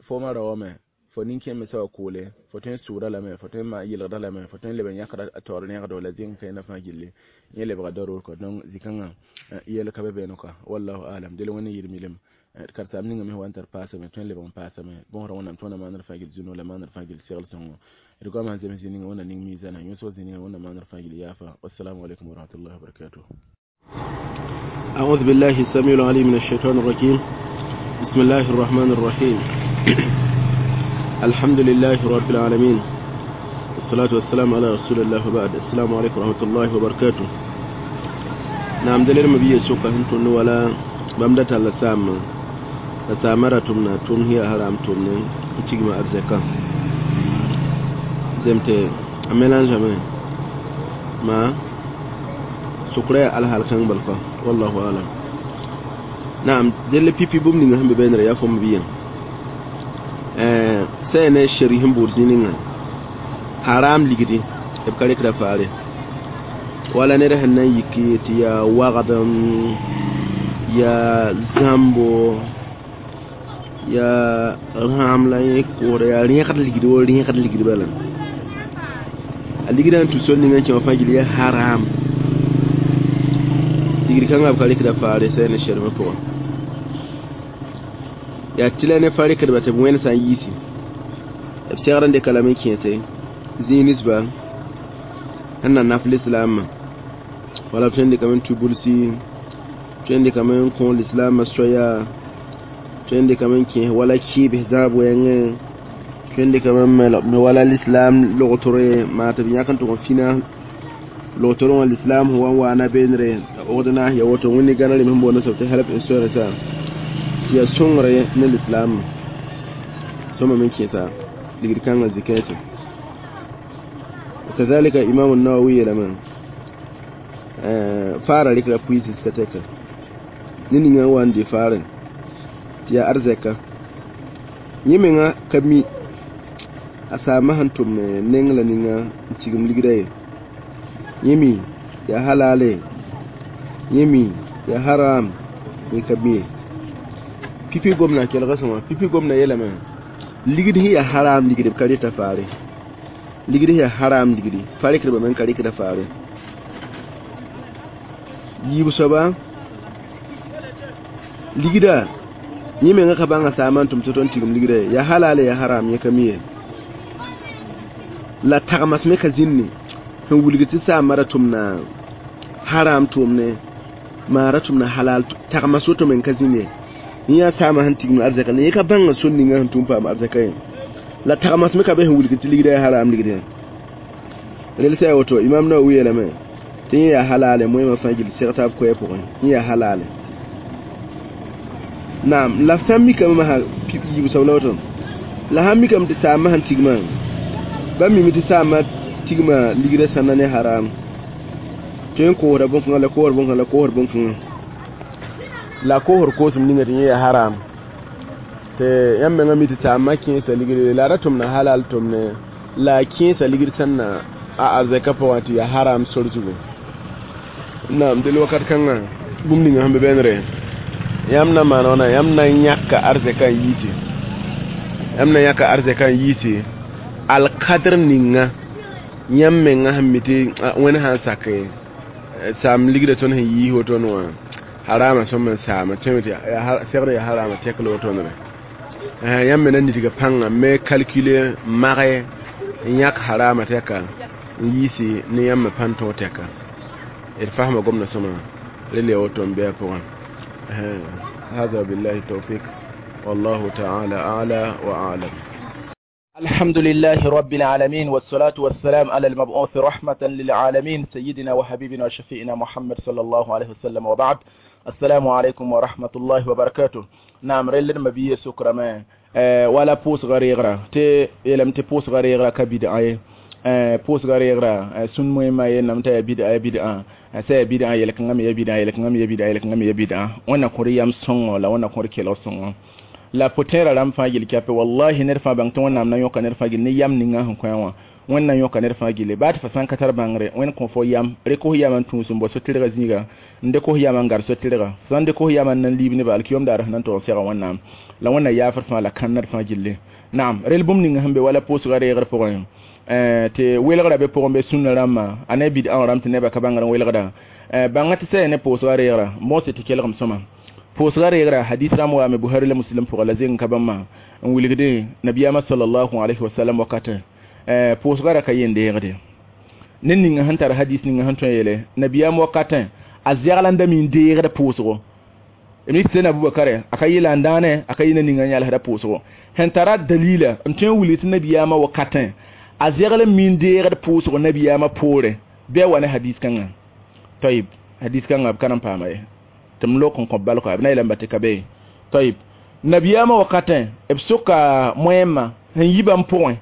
foomã raoome fo nin-kẽem me soaba kʋʋle fo tõe n sʋʋda lame fo tõe n yɩlgda lame fo tõe n leb n yãkda a taoor rẽgdo la zẽng kãena fãa gilli yẽ lebga darur kɔ donc zĩ-kãngã yɛl ka be beene kɔa wallahu alam del wẽnd n yɩr milem karsaam ninga me wa n tar paasame tõe n lebg n paasame bõosrã wẽnnaam tõe na maanr fãa gill zũno la maanr fãa gill segl sõngo d goamã sẽn zems zĩ ninga wẽnna ning miizãna yõsg zĩ ninga wẽnna maanr fãa gill yaafa wassalamu alaikum warahmatullahi wabarakatuh. أعوذ بالله السميع العليم من الشيطان الرجيم. بسم الله الرحمن الرحيم. الحمد لله رب العالمين والصلاة والسلام على رسول الله وبعد. السلام عليكم ورحمة الله وبركاته. نعم دليل مبيه سوكا هنتون ولا بمدة لسام لسامرة تمنا تم هي حرام تمنا تجمع أرزقا زمتي أميلان جمع ما سكرة على هالكان بالكا والله أعلم. نعم دل بي بي بوم نيغا هم بين ريا فم بيان سينه شريهم بورزينينغا حرام ليغدي ابكاري كرا فاري ولا نره هن يكي تيا وغدم يا زامبو يا رام لا يكور يا ريخ ليغدي و ريخ ليغدي بالا ليغدي ان تو سون نيغا تي فاجلي حرام ligri kãngã b ka rɩkda faare sɛ ne sɛrmã pʋgã yaa tɩ la ne fa rɩkdba tɩ b wẽnd sã n yiisi b segd n dɩka lame n kẽese zĩig ninsba sẽn na naf lislaamã wala b tõe n dɩkame n tʋ bulsi tõe n dɩkame n kõ lislaamã soaya tõe n dɩkame n kẽes wala kɩɩbs zãab wɛɛngẽ tõe n dɩkame n me wala lislaam logtore maa tɩ b yãk n tʋg n fĩna logtore wã lislaam sẽn wa n waana beenre ogdna ya woto wẽnde gãna rem sẽn boond soab tɩ help insurance tɩ yaa sõngre ne lislaam sõma me kẽesa ligd kãngã zikãase. وكذلك إمام النووي لما فara rɩkra puisis ka tɛka ne ninga n wa n dɩ faarẽ tɩ yaa arzɛka yẽ menga ka mi a saamã sẽn tʋm neng la ninga n tigim ligda ye yẽ mi yaa halale yẽ mi yaa haram yẽ ka mi ye pipi gomna kelga sõma pipi gomna yeelame ligd sẽn yaa haram ligd b ka rɩta faare ligd sẽn yaa haram ligdi fa rɩkdbame n ka rɩkda faare yiib soaba ligda yẽ menga ka bãnga saamã n tʋm tɩ tõnd tigim ligda ye yaa halale yaa haram yẽ ka mi ye la tagmas me ka zĩnni sẽn wilg tɩ saamã ra tʋmna haram tʋʋmne maa ra tʋmna halal tagmas woto me n ka zĩnd ye yẽ yaa saamã sẽn tigim arzɛka la yẽ ka bãnga sor ninga sẽn tʋm paam arzɛka ye la tagmas me ka be sẽn wilg tɩ ligda yaa haram ligd ye rel sã yaa woto Imam Nawawi yeelame tɩ yẽ yaa halale moẽmã fãa gill seg taab koɛɛ pʋgẽ yẽ yaa halale naam la f sã n mikame masã yiib soab la woto la sãn mikame tɩ saamã sẽn tigmã ba mime tɩ saamã tigma ligda sãnda ne haram tõe n koosda bõn-kãngã la koosd bõn-kãngã la koosd bõn-kãngã la koosd koosem ninga tɩ yẽ yaa haram tɩ yãmb mengã mi tɩ saamã kẽesa ligre la ra tʋmna halal tʋmne la a kẽesa ligd sẽn na a arzɛka pʋgã tɩ yaa haram sor zugu naam del wakat kãngã bũmb ninga sẽn be bẽnere yãmb na maan wãna yãmb na n yãka arzɛka n yiisi yãmb na yãka arzɛka n yiisi alkadr ninga yãmb menga sẽn mi tɩ wẽnd sã n sak saam ligda tõnd sẽn yiis wotone wã harama sõm n saama tõeme tɩ segd yaa harama tɛk la wotone yãmb me na nidga pãnga me calcule mage n yãk harama tɛka n yiisi ne yãmb me pãn tõog tɛka d fasma gomda sõma rel yaa woto n bɩ a pʋgã. هذا بالله التوفيق. Wallahu ta'ala a'la wa a'lam. الحمد لله رب العالمين والصلاة والسلام على المبعوث رحمة للعالمين سيدنا وحبيبنا وشفيئنا محمد صلى الله عليه وسلم وبعد. السلام عليكم ورحمة الله وبركاته. نعم رلن مبيه سكرما ولا بوس غريغرا تي يلم تي بوس غريغرا كبدعة بوس غريغرا سن مهمة ينم تي بدعة بدعة سي بدعة يلك ngam ya بدعة يلك ngam ya بدعة يلك ngam ya بدعة وانا كوريام سونغ لا وانا كوري كيلو سونغ la potera ram fãa gil kɛpɛ wallahi ned fãa bãng tɩ wẽnnaam na yõka ned fãa gil ne yam ninga sẽn kõ wã wẽnd na yõka ned fãa gille baa tɩ fa sã n ka tar bãngre wẽnd kõ fo yam rek f yam n tũus n bao so-tɩrgã zĩiga n dɩk f yam n gar so-tɩrga sã n dɩk f yam n nan liib nebã alkiyom daar sẽn na n tog n sega wẽnnaam la wẽnna yaafd fãa la kãnned fãa gille. Naam rel bũmb ninga sẽn be wala pʋʋsga reegr pʋgẽ tɩ welgrã be pʋgẽ be sũnna rãmbã a ne bidã wã rãmb tɩ nebã ka bãngr n welgda bãnga tɩ sɛ ne pʋʋsga reegra mose tɩ kelgem sõma pʋʋsga reegra hadis rãmb waame Buhari la Muslim pʋga la zeng ka bãmba n wilgde nabiyaamã sallallahu alayhi wa sallam wakatẽ pʋʋsga ra ka yen deegde ned ninga sẽn tar hadis ninga sẽn tõe yeele nabiyaam wakatẽ a zɛgl n da mi n deegd pʋʋsgo b sẽn Abubakar a ka yɩla n dãane a ka yɩ na ninga n yalsda pʋʋsgo sẽn tara dalila n tõe n wilg tɩ nabiyaamã wakatẽ a zɛgl n mi n deegd pʋʋsgo nabiyaamã poorẽ bɩ a wa ne hadis kãngã tayib hadis kãngã b ka n paama ye tɩ m lok n kõ balka b na yeelame tɩ ka be tayib nabiyaamã wakatẽ b soka moẽmã sẽn yi bãmb pʋgẽ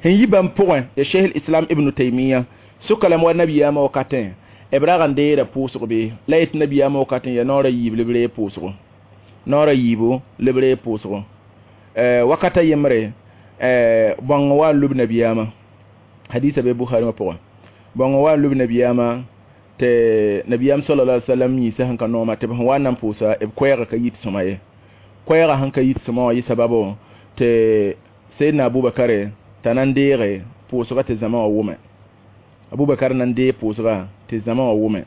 sẽn yi bãmb pʋgẽ ya Sheikh Islam Ibn Taymiya soka lame wa nabiyaamã wakatẽ b rag n deeda pʋʋsg be la yetɩ nabiyaamã wakatẽ ya naoor a yiib la b reeg pʋʋsgo naoor a yiibo la b reeg pʋʋsgo wakata yembre bõng wa n lub nabiyaamã hadisa be Bukhari wã pʋgẽ bõng wa n lub nabiyaamã tɩ nabiyaam sallallahu alaihi wasallam yĩsa sẽn ka nooma tɩ b sẽn wa n na n pʋʋsa b koɛɛgã ka yit sõma ye koɛɛgã sẽn ka yit sõma wã yɩ sababo tɩ Seydina Abubakar t'a na n deege pʋʋsga tɩ zãma wã wʋme Abubakar na n deeg pʋʋsga tɩ zãma wã wʋme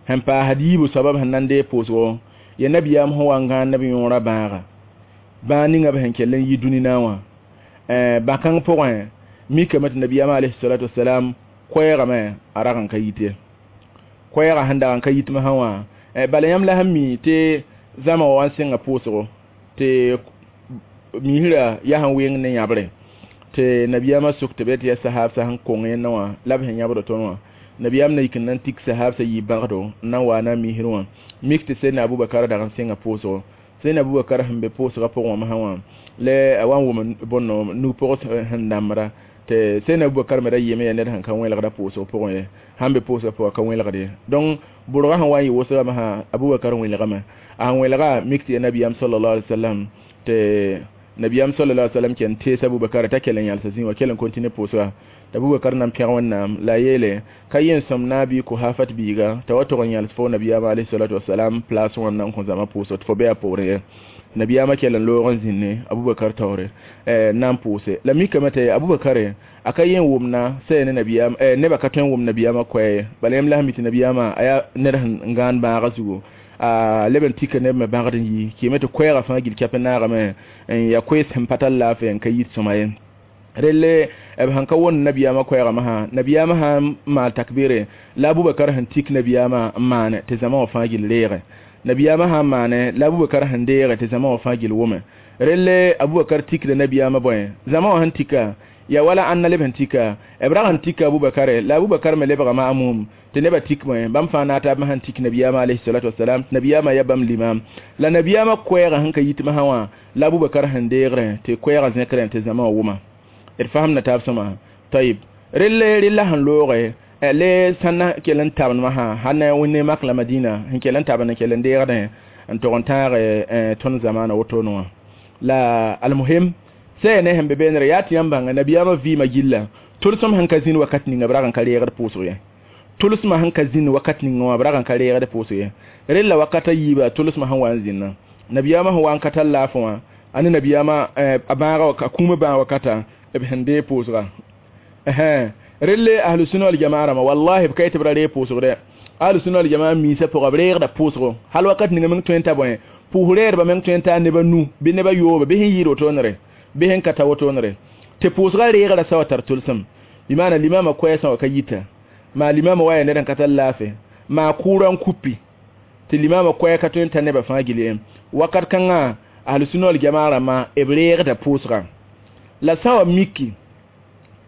sẽn paasd yiibu soaba b sẽn na n deeg pʋʋsgo ya nabiyaam sẽn wa n gãan neb yõorã bãaga bãag ninga b sẽn kell n yi dũnina wã bã-kãng pʋgẽ mikame tɩ nabiyaam alayhi salatu wasalam koɛɛgame a rag n ka yit ye koɛɛgã sẽn dag n ka yit masã wã bala yãmb la sẽn mi tɩ zãma wã wa n sẽnga pʋʋsgo tɩ misrã yaa sẽn weng ne yãbre tɩ nabiyaamã sok tɩ bɩ tɩ yaa sahaabsã sẽn kong yẽnda wã la b sẽn yãbd tõnd wã nabiyaam na yik n na n tik sahaabsã yiib bãgdo n na n wa na n misr wã mik tɩ Seydina Abubakar dag n sẽnga pʋʋsgo Seydina Abubakar sẽn be pʋʋsgã pʋgẽ wã masã wã la a wa n wʋm bõndo nug-pʋgs sẽn dãmbra tɩ Seydina Abubakar me ra yɩɩme yaa ned sẽn ka wẽlgda pʋʋsg pʋgẽ ye sãn be pʋʋsgã pʋgã ka wẽlgd ye donc bʋrgã sẽn wa n yɩ wʋsgã masã Abubakar wẽlgame a sẽn wẽlga mik tɩ yaa nabiyaam sallallahu alaihi wasallam tɩ nabiyaam sallallahu alaihi wasallam ken tees Abubakar t'a kell n yãlsa zĩ wã kell n continue pʋʋsga tɩ Abubakar na n pẽg wẽnnaam la a yeele ka yen sõm naabi Kohafat biiga t'a wa tog n yãls fo nabiyaamã alayhi salatu wasalam place wã n na n kõ zãma pʋʋsg tɩ fo be a poorẽ ye nabiyaamã kell n loog n zĩnne Abubakar taoore na n pʋʋse la mikame tɩ Abubakar a ka yen wʋmna sɛ ne nabiyaam nebã ka tõe n wʋm nabiyaamã koɛɛ ye bala yãmb la sẽn mi tɩ nabiyaamã a yaa ned sẽn gãan bãagã zugu a leb n tika neb me bãgd n yi kɩɩme tɩ koɛɛgã fãa gil kɛp n naagame n yaa koees sẽn pa tar laafɩ n ka yit sõma ye relle b sẽn ka wõnd nabiyaamã koɛɛgã masã nabiyaamã sã n maal takbire la Abubakar sẽn tik nabiyaamã n maane tɩ zãma wã fãa gil reege nabiyaamã sã n maane la Abubakar sẽn deege tɩ zãma wã fãa gil wʋme relle Abubakar tikda nabiyaamã bõe zãma wã sẽn tika ya wala ãnna leb sẽn tika b rag n tika Abubakar la Abubakar me lebgame a mum tɩ nebã tik bõe bãmb fãa na taab sẽn tik nabiyaamã alayhi salatu wasalam tɩ nabiyaamã yaa bãmb limam la nabiyaamã koɛɛgã sẽn ka yit masã wã la Abubakar sẽn deegrẽ tɩ koɛɛgã zẽkrẽ tɩ zãma wã wʋma d fasemda taab sõma tayib relle rella sẽn looge le sãn kell n tabend masã sãn na wẽnde mak la Madina sẽn kell n tabend n kell n deegdẽ n tog n tãag tõnd zamaana wotone wã la almuhim sɛ ne sẽn be beenre yaa tɩ yãmb bãnga nabiyaamã vɩɩmã gilla tʋlsem sẽn ka zĩnd wakat ninga b rag n ka reegd pʋʋsg ye tʋlsmã sẽn ka zĩnd wakat ninga wã b rag n ka reegd pʋʋsg ye rella wakata yiiba tʋlsmã sẽn wa n zĩnna nabiyaamã sẽn wa n ka tar laafẽ wã a ne nabiyaamã a bãaga a kũumã bãag wakata b sẽn deeg pʋʋsga relle ahlu sunna wal jamaa rãmba wallahi b ka yetɩ b ra reeg pʋʋsg dɛ ahlu sunna wal jamaa miisã pʋga b reegda pʋʋsgo hal wakat ninga meng tõe n ta bõe pʋʋs reedbã meng tõe n taa neba nu bɩ neba yooba bɩ sẽn yɩɩd wotonere bɩ sẽn ka ta wotonere tɩ pʋʋsgã reegrã sa wa tar tʋlsem bɩ maana limama koɛɛsã wa ka yita maa limama wa yaa ned n ka tar laafɩ maa kʋʋrã n kupi tɩ limama koɛɛ ka tõe n ta nebã fãa gil ye wakat kãngã Ahlu sunna wal jamaa rãmbã b reegda pʋʋsga la sã wa miki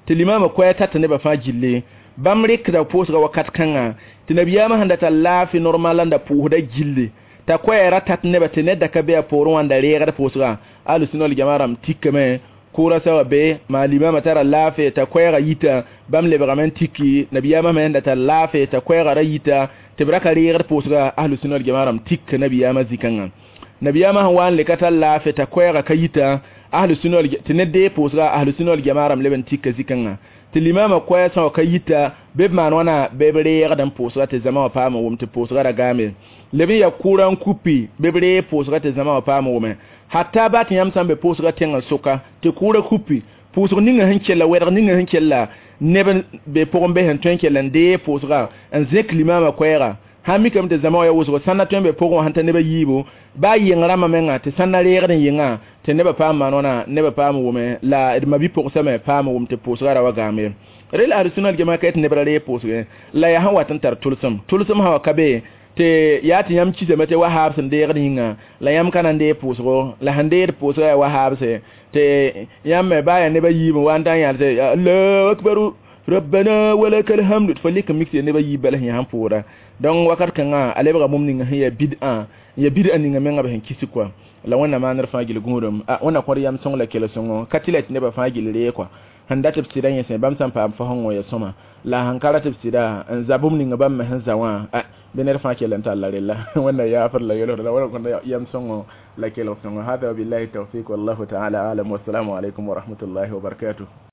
tɩ limaamã koɛɛ tat nebã fãa gilli bãmb rɩkda pʋʋsga wakat kãngã tɩ nabiyaamã sẽn da tar laafɩ normal n da pʋʋsda gilli t'a koɛɛ ra tat nebã tɩ ned da ka be a poorẽ wã n da reegd pʋʋsga. Ahlu sunna wal jamaa rãmb tikame kʋʋra sa wa be maa limaamã tara laafɩ t'a koɛɛga yita bãmb lebgame n tiki nabiyaamã me sẽn da tar laafɩ t'a koɛɛga ra yita tɩ b ra ka reegd pʋʋsga. Ahlu sunna wal jamaa rãmb tik nabiyaamã zĩ-kãngã. Nabiyaamã sẽn wa n le ka tar laafɩ t'a koɛɛga ka yita ahlu sunna tɩ ned dee pʋʋsga ahlu sunna wal jamaa rãmb leb n tika zĩ-kãngã tɩ limaamã koɛɛ sã wa ka yita bɩ b maan wãna bɩ b reegd n pʋʋsga tɩ zãma wã paam n wʋm tɩ pʋʋsga ra gaame leb n ya kʋʋra n kupi bɩ b reeg pʋʋsga tɩ zãma wã paam n wʋme hatta baa tɩ yãmb sã n be pʋʋsga tẽngã sʋka tɩ kʋʋra kupi pʋʋsg ninga sẽn kella wɛdg ninga sẽn kella neb n be pʋgẽ be sẽn tõe n kell n dee pʋʋsga n zẽk limaamã koɛɛga sãn mikame tɩ zãma wã ya wʋsgo sãn na tõe n be pʋgẽ wã sẽn ta nebã yiibu baa yeng rãmbã menga tɩ sãn na reegd n yengã tɩ nebã paam maan wãna nebã paam wʋme la d mabi-pʋgsame paam wʋm tɩ pʋʋsga ra wa gaame. Rel ahlu sunna wal jamaa ka tɩ neb ra reeg pʋʋsgẽ la yaa sẽn wat n tar tʋlsem tʋlsem sã wa ka be tɩ yaa tɩ yãmb kisame tɩ wahaab sẽn deegd yĩnga la yãmb ka na n deeg pʋʋsgo la sẽn deed pʋʋsga yaa wahaabse tɩ yãmb me baa yaa nebã yiib n wa n ta n yãl tɩ allahu akbaru rabbana walakal hamdu tɩ fo lɩk n mik tɩ nebã yiib bala sẽn yaa sẽn pʋʋda. Donc wakat kãngã a lebga bũmb ninga sẽn yaa bid'a ya bid'a ninga menga b sẽn kis kɔa la wẽnnaam maanr fãa gill gũudum a wẽnna kõd yam sõng la kel-sõngo ka tɩ la tɩ nebã fãa gill ree kɔa sẽn dat b sɩda yẽsẽ bãmb sã n paam fo ya sõma la sẽn ka rat b sɩda n za bũmb ninga bãmb me sẽn za wã bɩ ned fãa kell n talla rella wẽnna yaafr la yelgd la wẽnna kõd yam sõngo la kelg sõngo. Hada wabillahi tawfiq wallahu taala alam wassalamu alaikum wa rahmatullahi wa barakatuh.